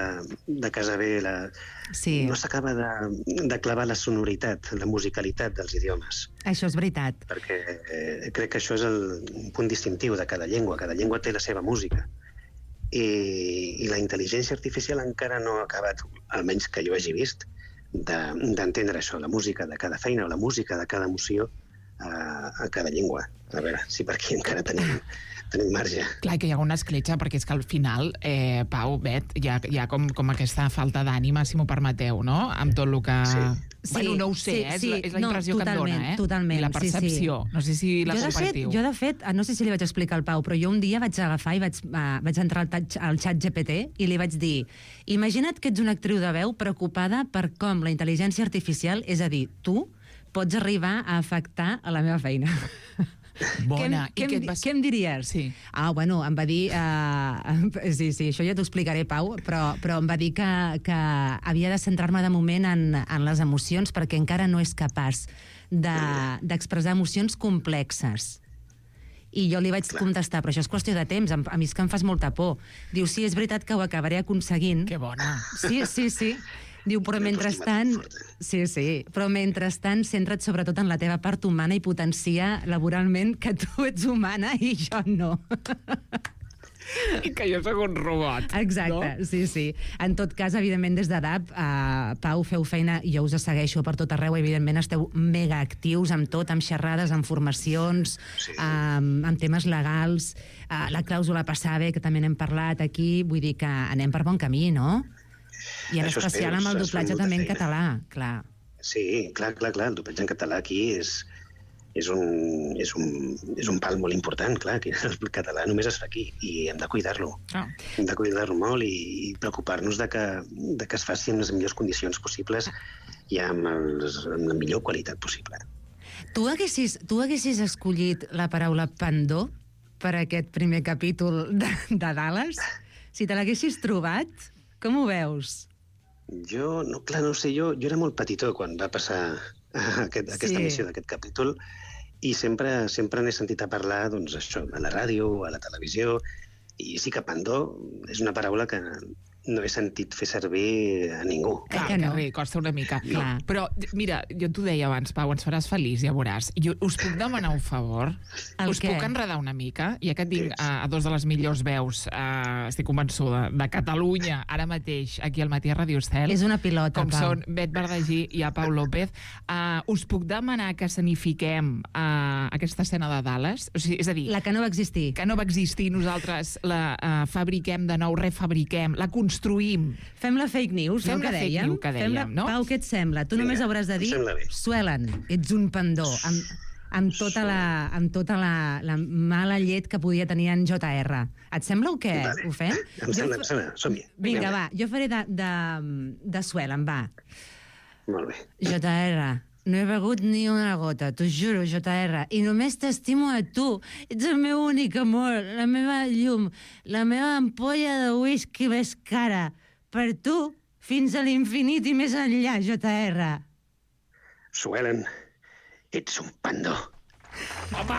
de casar bé, la, sí. no s'acaba de, de clavar la sonoritat, la musicalitat dels idiomes. Això és veritat. Perquè eh, crec que això és el punt distintiu de cada llengua. Cada llengua té la seva música. i, i la intel·ligència artificial encara no ha acabat, almenys que jo hagi vist, d'entendre de, això, la música de cada feina o la música de cada emoció a, a cada llengua. A veure si per aquí encara tenim, tenim marge. Clar, que hi ha una escletxa, perquè és que al final, eh, Pau, Bet, hi ha, hi ha com, com aquesta falta d'ànima, si m'ho permeteu, no? Amb tot el que... Sí. Bueno, no ho sé, sí, eh? sí, és la impressió no, que em dona, eh? Totalment, I la percepció. Sí, sí. No sé si la jo, compartiu. De fet, jo, de fet, no sé si li vaig explicar al Pau, però jo un dia vaig agafar i vaig, uh, vaig entrar al, touch, al xat G P T i li vaig dir: imagina't que ets una actriu de veu preocupada per com la intel·ligència artificial, és a dir, tu, pots arribar a afectar a la meva feina. Bona. Què, I què, què et vas... què em diries? Sí. Ah, bueno, em va dir... Uh, sí, sí, això ja t'ho explicaré, Pau, però, però em va dir que, que havia de centrar-me de moment en, en les emocions perquè encara no és capaç d'expressar de, emocions complexes. I jo li vaig contestar, però això és qüestió de temps, a mi és que em fas molta por. Diu, sí, és veritat que ho acabaré aconseguint. Que bona. Sí, sí, sí. Diu, però mentrestant... Sí, sí, però mentrestant centra't sobretot en la teva part humana i potencia laboralment que tu ets humana i jo no. I que jo sóc un robot. Exacte, no? sí, sí. En tot cas, evidentment, des de D A P, uh, Pau, feu feina, jo us segueixo per tot arreu, evidentment esteu mega actius amb tot, amb xerrades, amb formacions, sí. um, amb temes legals, uh, la clàusula Passave, que també n'hem parlat aquí, vull dir que anem per bon camí, no? I en Això especial espero, amb el doblatge també en feina. català, clar. Sí, clar, clar, clar, el doblatge en català aquí és, és, un, és, un, és un pal molt important, clar, que el català només es fa aquí i hem de cuidar-lo. Ah. Hem de cuidar-lo molt i, i preocupar-nos de que, de que es faci en les millors condicions possibles i amb, els, amb la millor qualitat possible. Tu haguessis, tu haguessis escollit la paraula pendó per aquest primer capítol de, de Dallas? Si te l'haguessis trobat, com ho veus? Jo, no, clar, no sé, jo, jo era molt petitó quan va passar aquest, aquesta Sí. emissió d'aquest capítol i sempre sempre n'he sentit a parlar, doncs, això, a la ràdio, a la televisió, i sí que pendó és una paraula que no he sentit fer servir a ningú. Clar, que que no. bé, costa una mica. Clar. Però, mira, jo t'ho deia abans, Pau, ens faràs feliç, ja veuràs. Jo us puc demanar un favor? El us què? puc enredar una mica? Ja que tinc Digues. a, a dos de les millors veus, uh, estic convençuda, de Catalunya, ara mateix, aquí al Matí a Radio Estel. És una pilota, Com Pau. són Bet Verdagí i a Pau López. Uh, us puc demanar que escenifiquem uh, aquesta escena de Dallas? O sigui, és a dir, La que no va existir. que no va existir, nosaltres la uh, fabriquem de nou, refabriquem, la construïm. Fem la fake news, Fem no, que la fake dèiem? news que Fem la... dèiem, no? Pau, què et sembla? Tu Vinga, només hauràs de em dir sembla bé. Suelen, ets un pendó, amb, amb tota, la, amb tota la, la mala llet que podia tenir en J R. Et sembla o què? Vale. Ho fem? Em sembla, em sembla, som-hi. Vinga, va, jo faré de, de, de Suelen, va. Molt bé. J R, no he begut ni una gota, t'ho juro, J R, i només t'estimo a tu. Ets el meu únic amor, la meva llum, la meva ampolla de whisky més cara. Per tu, fins a l'infinit i més enllà, J R. Suelen, ets un pendó. Home,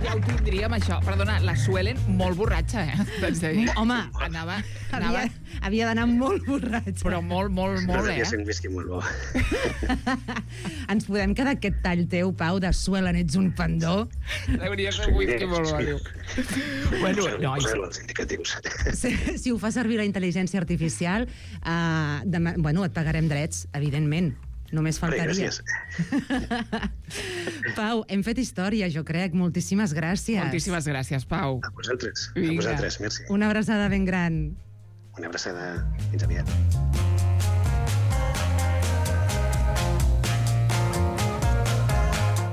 ja ho tindríem, això. Perdona, la Suelen molt borratxa, eh? T'haig de dir. Home, Anava, anava, havia, havia d'anar molt borratxa. però molt, molt, No molt, devia eh? ser un whisky molt bo. Ens podem quedar aquest tall teu, Pau, de Suelen, ets un pendó? Hauria de ser un whisky molt bo, diu. Bueno, Poseu- no, i poseu els indicatius. Si, si ho fa servir la intel·ligència artificial, uh, demà, bueno, et pagarem drets, evidentment. Només Bé, faltaria. gràcies. Pau, hem fet història, jo crec. Moltíssimes gràcies. moltíssimes gràcies, Pau. A vosaltres, a Vinga. vosaltres, merci. Una abraçada ben gran. Una abraçada, fins aviat.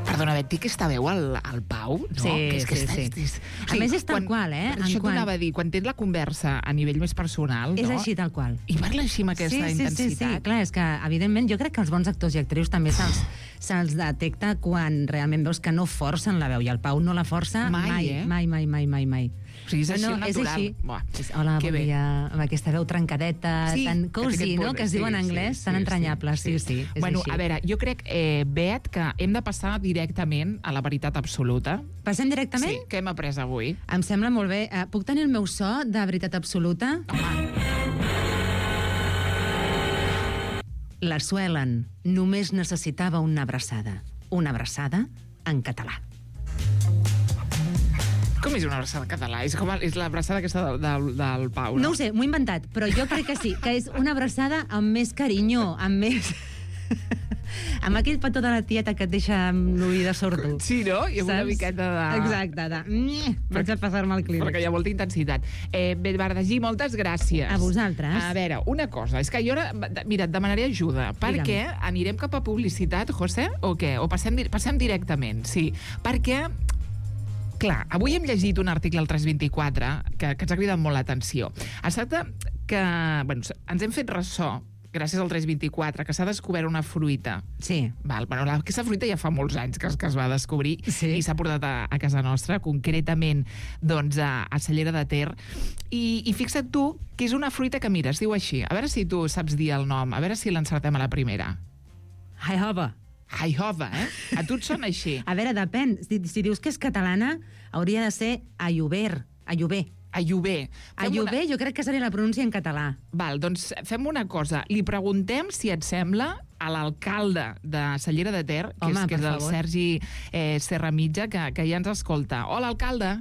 Perdona, Bet, té aquesta veu al, al Pau, no? Sí, que és que sí, està, sí. És, A més, és tal qual, eh? Per En això quan- t'anava a dir, quan tens la conversa a nivell més personal, És no? així, tal qual. I parla així amb aquesta sí, sí, intensitat. Sí, sí, clar, és que, evidentment, jo crec que els bons actors i actrius també se'ls se'ls detecta quan realment veus que no forcen la veu, i el Pau no la força Mai, mai, eh? mai, mai, mai, mai, mai. O sigui, és així, no, natural. És així. Buah, És, hola, que bon bé. dia, amb aquesta veu trencadeta, Sí, tan que té cozy, aquest no?, punt, que es diu en sí, anglès, sí, tan sí, entranyable, sí, sí, és Bueno, així. a veure, jo crec, eh, Bet, que hem de passar directament a la veritat absoluta. Passem directament? Sí, que hem après avui. Em sembla molt bé. Uh, puc tenir el meu so de veritat absoluta? Home, La Suelen només necessitava una abraçada. Una abraçada en català. Com és una abraçada català? És com és l'abraçada aquesta del, del, del Pau, no? No ho sé, m'ho he inventat, però jo crec que sí, que és una abraçada amb més carinyo, amb més... amb aquell petó de la tieta que et deixa amb l'ull de sordo. Sí, no? I amb una miqueta de... Exacte, de... Vaig a passar-me al clínic. Perquè hi ha molta intensitat. Eh, Bernardí, moltes gràcies. A vosaltres. A veure, una cosa, és que jo ara... Mira, et demanaré ajuda, perquè anirem cap a publicitat, José, o què? O passem, passem directament, sí. Perquè... Clar, avui hem llegit un article al tres vint-i-quatre que, que ens ha cridat molt l'atenció. Es tracta que... Bueno, ens hem fet ressò gràcies al tres vint-i-quatre, que s'ha descobert una fruita. Sí. Val, bueno, la, aquesta fruita ja fa molts anys que, que es va descobrir sí. i s'ha portat a, a casa nostra, concretament doncs, a, a Cellera de Ter. I, I fixa't tu que és una fruita que, mira, es diu així. A veure si tu saps dir el nom, a veure si l'encertem a la primera. Haihova. Haihova, eh? A tu et sona així? A veure, depèn. Si, si dius que és catalana, hauria de ser Ayover. Ayover. Ayover. Ayover, una... jo crec que seria la pronúncia en català. Val, doncs fem una cosa. Li preguntem, si et sembla, a l'alcalde de Cellera de Ter, que Home, és, que és el favor. Sergi eh, Serramitja, que, que ja ens escolta. Hola, alcalde.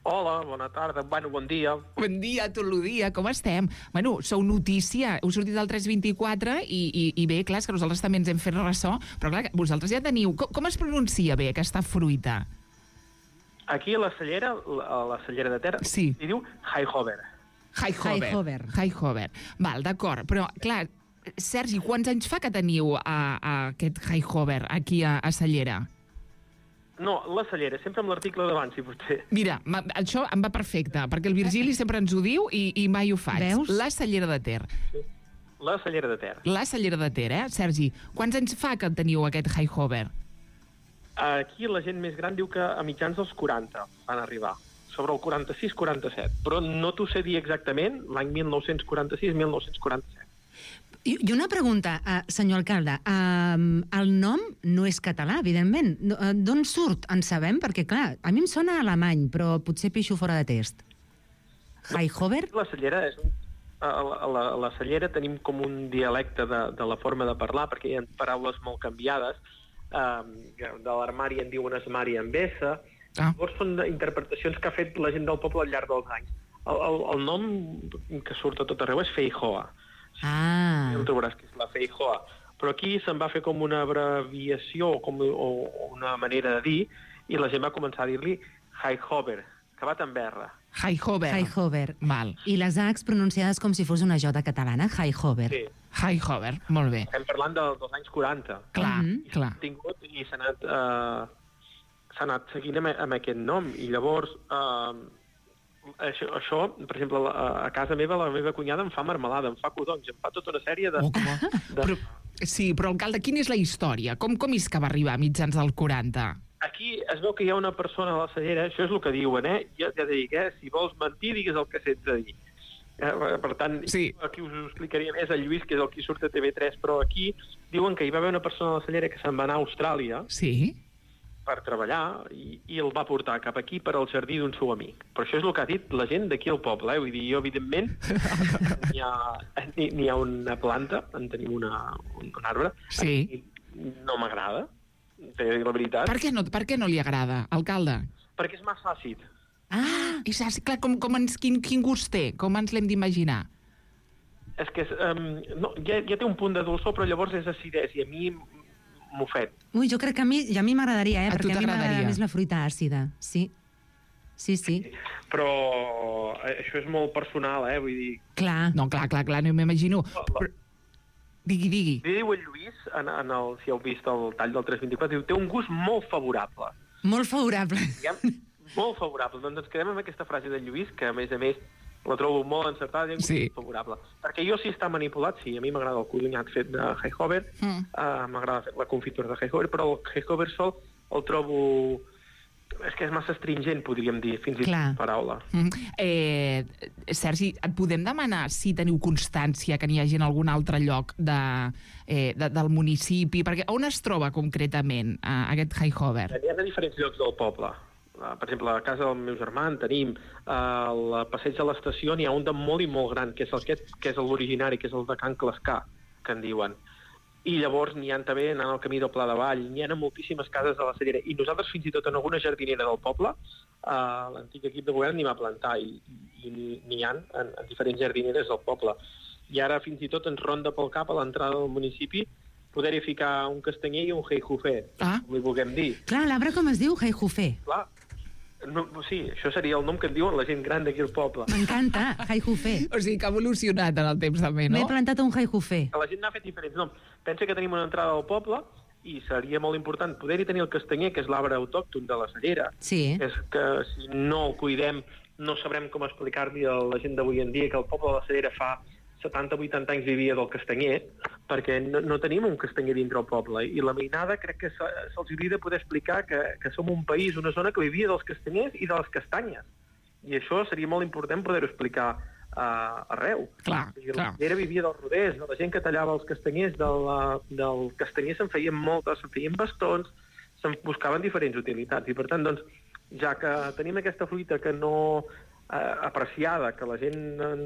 Hola, bona tarda, bueno, bon dia. Bon dia, tot el dia, com estem? Bueno, sou notícia, heu sortit del tres vint-i-quatre i, i, i bé, clar, és que nosaltres també ens hem fet ressò, però clar, vosaltres ja teniu... Com, com es pronuncia bé aquesta fruita? Aquí a la Cellera, a la Cellera de Ter, sí. Li diu Haihova. Haihova. Haihova. Val, d'acord, però clar, Sergi, quants anys fa que teniu a, a aquest Haihova aquí a, a Cellera? No, la Cellera, sempre amb l'article d'abans, si potser. Mira, això em va perfecte, perquè el Virgili sempre ens ho diu i, i mai ho faig. Veus? La Cellera de Ter. Sí. La Cellera de Ter. La Cellera de Ter, eh, Sergi? Quants anys fa que teniu aquest Haihova? Aquí la gent més gran diu que a mitjans dels quaranta van arribar, sobre el quaranta-sis quaranta-set, però no t'ho sé dir exactament, l'any mil nou-cents quaranta-sis mil nou-cents quaranta-set. I, I una pregunta, uh, senyor alcalde. Uh, el nom no és català, evidentment. Uh, D'on surt? En sabem? Perquè, clar, a mi em sona alemany, però potser pixo fora de test. Haihova? La Cellera és un... A la, a la, a la Cellera tenim com un dialecte de, de la forma de parlar, perquè hi ha paraules molt canviades. Um, de l'armari en diuen esmari amb S. Ah. Llavors són interpretacions que ha fet la gent del poble al llarg dels anys. El, el, el nom que surt a tot arreu és Feijoa. Ah. Ja ho trobaràs que és la Feijoa. Però aquí se'n va fer com una abreviació com, o, o una manera de dir, i la gent va començar a dir-li Haihova, que va amb R. Haihova. Haihova. Val. I les Hs pronunciades com si fos una J catalana, Haihova. Sí. Haihova, molt bé. Estem parlant de, dels anys quaranta. Clar, mm -hmm. clar. Tingut, I s'ha anat, uh, s'ha anat seguint amb, amb aquest nom. I llavors, uh, això, això, per exemple, a, a casa meva, la meva cunyada em fa marmelada, em fa codonys, em fa tota una sèrie de... Oh, de... Però, sí, però, alcalde, quina és la història? Com, com és que va arribar a mitjans del quaranta? Aquí es veu que hi ha una persona a la Cellera, això és el que diuen, eh? Ja, ja dic, eh? Si vols mentir, digues el que sents a dir. Eh, per tant, sí. Aquí us ho explicaria més el Lluís, que és el que surt a T V tres, però aquí diuen que hi va haver una persona a la Cellera que se'n va anar a Austràlia sí. per treballar i, i el va portar cap aquí per al jardí d'un seu amic. Però això és el que ha dit la gent d'aquí al poble, eh? Vull dir, jo, evidentment, n'hi ha, n'hi ha una planta, en tenim una, un, un arbre, sí. no m'agrada, la veritat. Per què no, per què no li agrada, alcalde? Perquè és massa àcid. Ah, és àcid. Clar, com, com ens, quin, quin gust té? Com ens l'hem d'imaginar? És que és, um, no, ja, ja té un punt de dolçor, però llavors és acidès, i a mi m'ofet. Ui, jo crec que a mi, a mi m'agradaria, eh? A perquè a mi m'agrada més la fruita àcida. Sí, sí, sí. sí. Però això és molt personal, eh? Vull dir... Clar. No, clar, clar, clar, no m'imagino. Però... Digui, digui. Li diu el Lluís, en, en el, si heu vist el tall del tres vint-i-quatre, diu, té un gust molt favorable. Molt favorable. Diguem, molt favorable. Doncs ens quedem amb aquesta frase del Lluís, que a més a més la trobo molt encertada, i sí. favorable. Perquè jo, si està manipulat, sí, a mi m'agrada el codonyat fet de Haihova, mm. uh, m'agrada la confitura de Haihova, però el Haihova sol el trobo... És que és massa astringent, podríem dir, fins i tot paraula. Mm. Eh, Sergi, et podem demanar si teniu constància que n'hi hagi en algun altre lloc de, eh, de, del municipi? Perquè on es troba concretament eh, aquest Haihova? N'hi ha de diferents llocs del poble. Uh, per exemple, a casa del meu germà en tenim uh, al passeig de l'estació, n'hi ha un de molt i molt gran, que és, el, que és l'originari, que és el de Can Clascar, que en diuen. i llavors n'hi ha també anant al camí del Pla de Vall, n'hi ha moltíssimes cases de la Cellera, i nosaltres fins i tot en alguna jardinera del poble, eh, l'antic equip de govern n'hi va plantar, i, i n'hi ha en, en diferents jardineres del poble. I ara fins i tot ens ronda pel cap a l'entrada del municipi poder-hi ficar un castanyer i un heijufé, ah. com li vulguem dir. Clar, l'arbre com es diu? Heijufé. Clar. No, sí, això seria el nom que en diuen la gent gran d'aquí al poble. M'encanta, heijufé. O sigui, que ha evolucionat en el temps també, no? M'he plantat un heijufé. La gent n'ha fet diferents noms. Pensa que tenim una entrada al poble i seria molt important poder-hi tenir el castanyer, que és l'arbre autòcton de la Cellera. Sí. És que si no el cuidem no sabrem com explicar-li a la gent d'avui en dia que el poble de la Cellera fa setanta o vuitanta anys vivia del castanyer, perquè no, no tenim un castanyer dintre el poble. I la mainada crec que se, se'ls hauria de poder explicar que, que som un país, una zona que vivia dels castanyers i de les castanyes. I això seria molt important poder-ho explicar uh, arreu. Clar, I clar. La Cellera vivia dels roders, de la gent que tallava els castanyers, de la, del castanyer se'n feien moltes, se'n feien bastons, se'n buscaven diferents utilitats. I per tant, doncs, ja que tenim aquesta fruita que no eh, apreciada, que la gent en,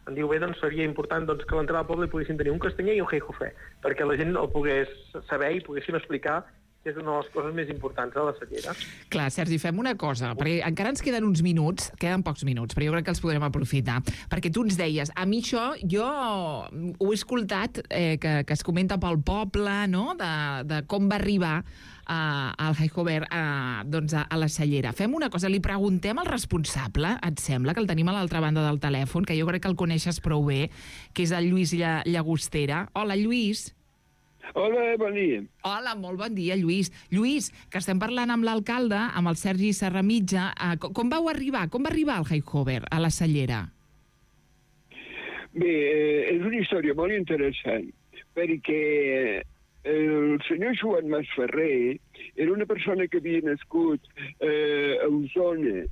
en diu bé, doncs seria important doncs, que a l'entrada del poble hi poguessin tenir un castanyer i un heijufé, perquè la gent el pogués saber i poguéssim explicar que és una de les coses més importants de la Cellera. Clar, Sergi, fem una cosa, perquè encara ens queden uns minuts, queden pocs minuts, però jo crec que els podrem aprofitar, perquè tu ens deies, a mi això, jo ho he escoltat, eh, que, que es comenta pel poble, no?, de, de com va arribar Uh, al Heijofé uh, doncs a, a la Cellera. Fem una cosa, li preguntem al responsable, et sembla, que el tenim a l'altra banda del telèfon, que jo crec que el coneixes prou bé, que és el Lluís Lla Llagostera. Hola, Lluís. Hola, bon dia. Hola, molt bon dia, Lluís. Lluís, que estem parlant amb l'alcalde, amb el Sergi Serramitja. Uh, com, com vau arribar? Com va arribar el Heijofé a la Cellera? Bé, eh, és una història molt interessant, perquè el senyor Joan Mas Ferrer era una persona que havia nascut eh, a Osona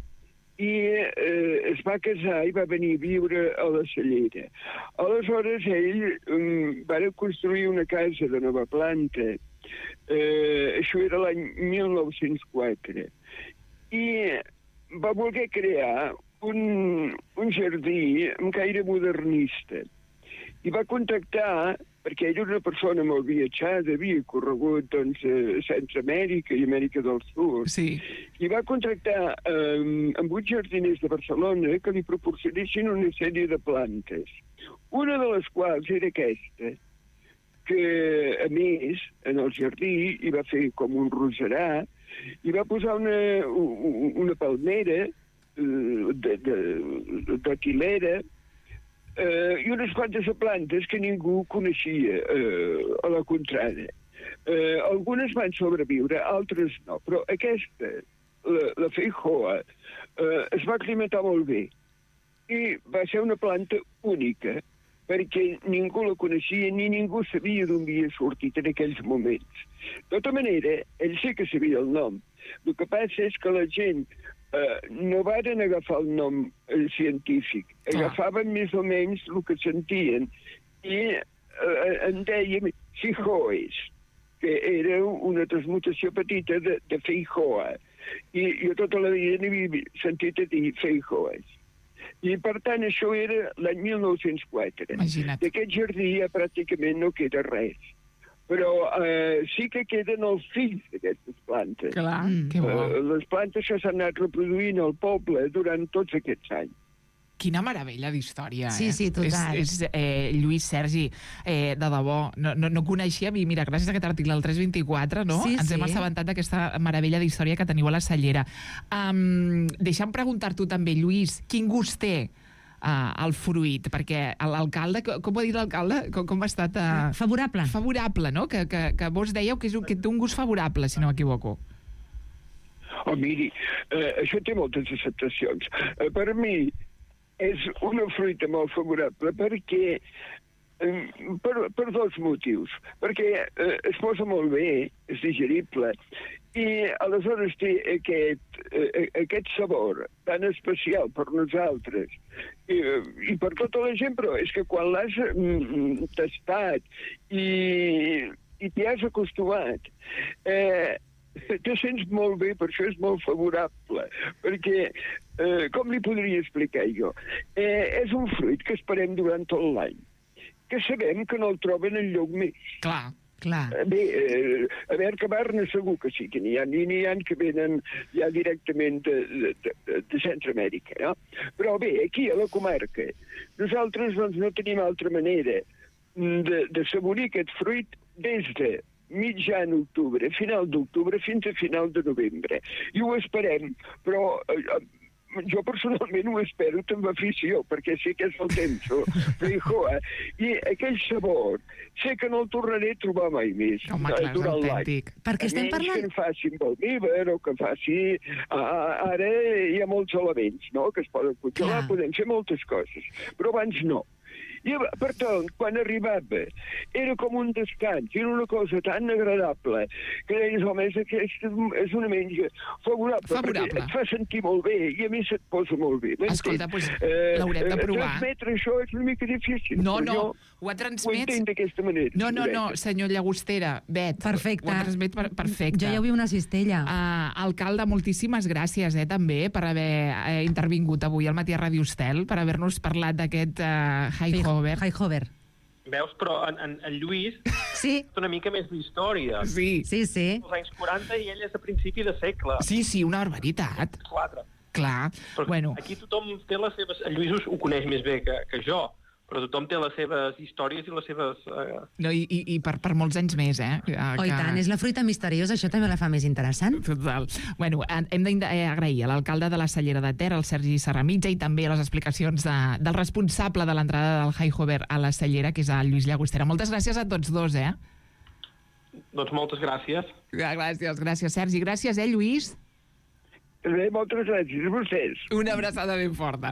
i eh, es va casar i va venir a viure a la Cellera. Aleshores, ell um, va construir una casa de nova planta. Eh, això era l'any mil nou-cents quatre. I va voler crear un, un jardí amb caire modernista. I va contactar, perquè ell era una persona molt viatjada, havia corregut doncs, a Centroamèrica i Amèrica del Sud, sí. I va contactar um, amb uns jardiners de Barcelona que li proporcionessin una sèrie de plantes. Una de les quals era aquesta, que, a més, en el jardí hi va fer com un roserà, i va posar una, una palmera uh, de, de, de quilera, Uh, i unes quantes plantes que ningú coneixia uh, a la contrada. Uh, algunes van sobreviure, altres no, però aquesta, la, la feijoa, uh, es va aclimatar molt bé i va ser una planta única, perquè ningú la coneixia ni ningú sabia d'on havia sortit en aquells moments. De tota manera, ell sí que sabia el nom. El que passa és que la gent Uh, no varen agafar el nom uh, científic, agafaven més o menys el que sentien i uh, en dèiem Feijoes, que era una transmutació petita de, de Feijoa, i jo tota la vida n'havia sentit a dir Feijoes. I per tant això era l'any mil nou-cents quatre. Imagina't. D'aquest jardí ja pràcticament no queda res. Però eh, sí que queden els fills d'aquestes plantes. Clar, mm. que bo. Eh, les plantes que s'han anat reproduint al poble durant tots aquests anys. Quina meravella d'història, eh? Sí, sí, total. És, és, eh, Lluís, Sergi, eh, de debò, no, no, no coneixia, i mira, gràcies a aquest article del tres vint-i-quatre, no? Sí, ens sí. hem assabentat d'aquesta meravella d'història que teniu a la Cellera. Um, deixa'm preguntar-t'ho també, Lluís, quin gust té Uh, el fruit, perquè l'alcalde, com ho ha dit l'alcalde? Com, com ha estat... Uh... Favorable. Favorable, no? Que, que, que vos dèieu que, és un, que té un gust favorable, si no m'equivoco. Oh, miri, eh, això té moltes acceptacions. Eh, per mi és una fruita molt favorable perquè eh, per, per dos motius. Perquè eh, es posa molt bé, és digerible, i aleshores té aquest, eh, aquest sabor tan especial per nosaltres i, i per tota la gent, però és que quan l'has mm, tastat i, i t'hi has acostumat, eh, te sents molt bé, per això és molt favorable, perquè, eh, com li podria explicar jo, eh, és un fruit que esperem durant tot l'any. que sabem que no el troben enlloc més. Clar, clar. Bé, eh, a Mercabarna segur que sí, que n'hi ha, n'hi ha que venen ja directament de, de, de, de Centroamèrica, no? Però bé, aquí a la comarca, nosaltres doncs, no tenim altra manera de, de saborir aquest fruit des de mitjan octubre, final d'octubre, fins a final de novembre. I ho esperem, però eh, jo personalment ho espero amb afició, perquè sé que és el temps, Feijóo, i aquell sabor sé que no el tornaré a trobar mai més. Home, clar, és autèntic. Perquè estem parlant... que en facin Balmiver o que faci... Ah, ara hi ha molts elements, no?, que es poden congelar, podem fer moltes coses, però abans no. I, per tant, quan arribava, era com un descans, era una cosa tan agradable, que deies, home, és, aquesta és una menja favorable, favorable, perquè et fa sentir molt bé, i a mi se't posa molt bé. Escolta, doncs eh, l'haurem de provar. Transmetre això és una mica difícil, no, no, jo ho ha transmets... ho entenc d'aquesta manera. No, no, no, senyor Llagostera, Bet, perfecte. Ho ha transmet per, perfecte. Jo ja ho vi una cistella. Uh, alcalde, moltíssimes gràcies, eh, també, per haver eh, intervingut avui al Matí a Ràdio Estel, per haver-nos parlat d'aquest uh, High Highhover. Veus, però en, en, en Lluís sí. és una mica més d'història. Sí. Sí, sí. Els anys quaranta i ell és a principi de segle. Sí, sí, una barbaritat. Quatre. Clar. Però bueno. Aquí tothom té les seves... En Lluís ho coneix més bé que, que jo, però tothom té les seves històries i les seves... Eh... No, i, i, i per, per molts anys més, eh? Que... Oh, i tant, és la fruita misteriosa, això també la fa més interessant. Total. Bueno, hem d'agrair a l'alcalde de la Cellera de Ter, el Sergi Serramitja, i també les explicacions de, del responsable de l'entrada del Highhover a la Cellera, que és el Lluís Llagostera. Moltes gràcies a tots dos, eh? Doncs moltes gràcies. Gràcies, gràcies, Sergi. Gràcies, eh, Lluís? Bé, moltes gràcies a vostès. Una abraçada ben forta.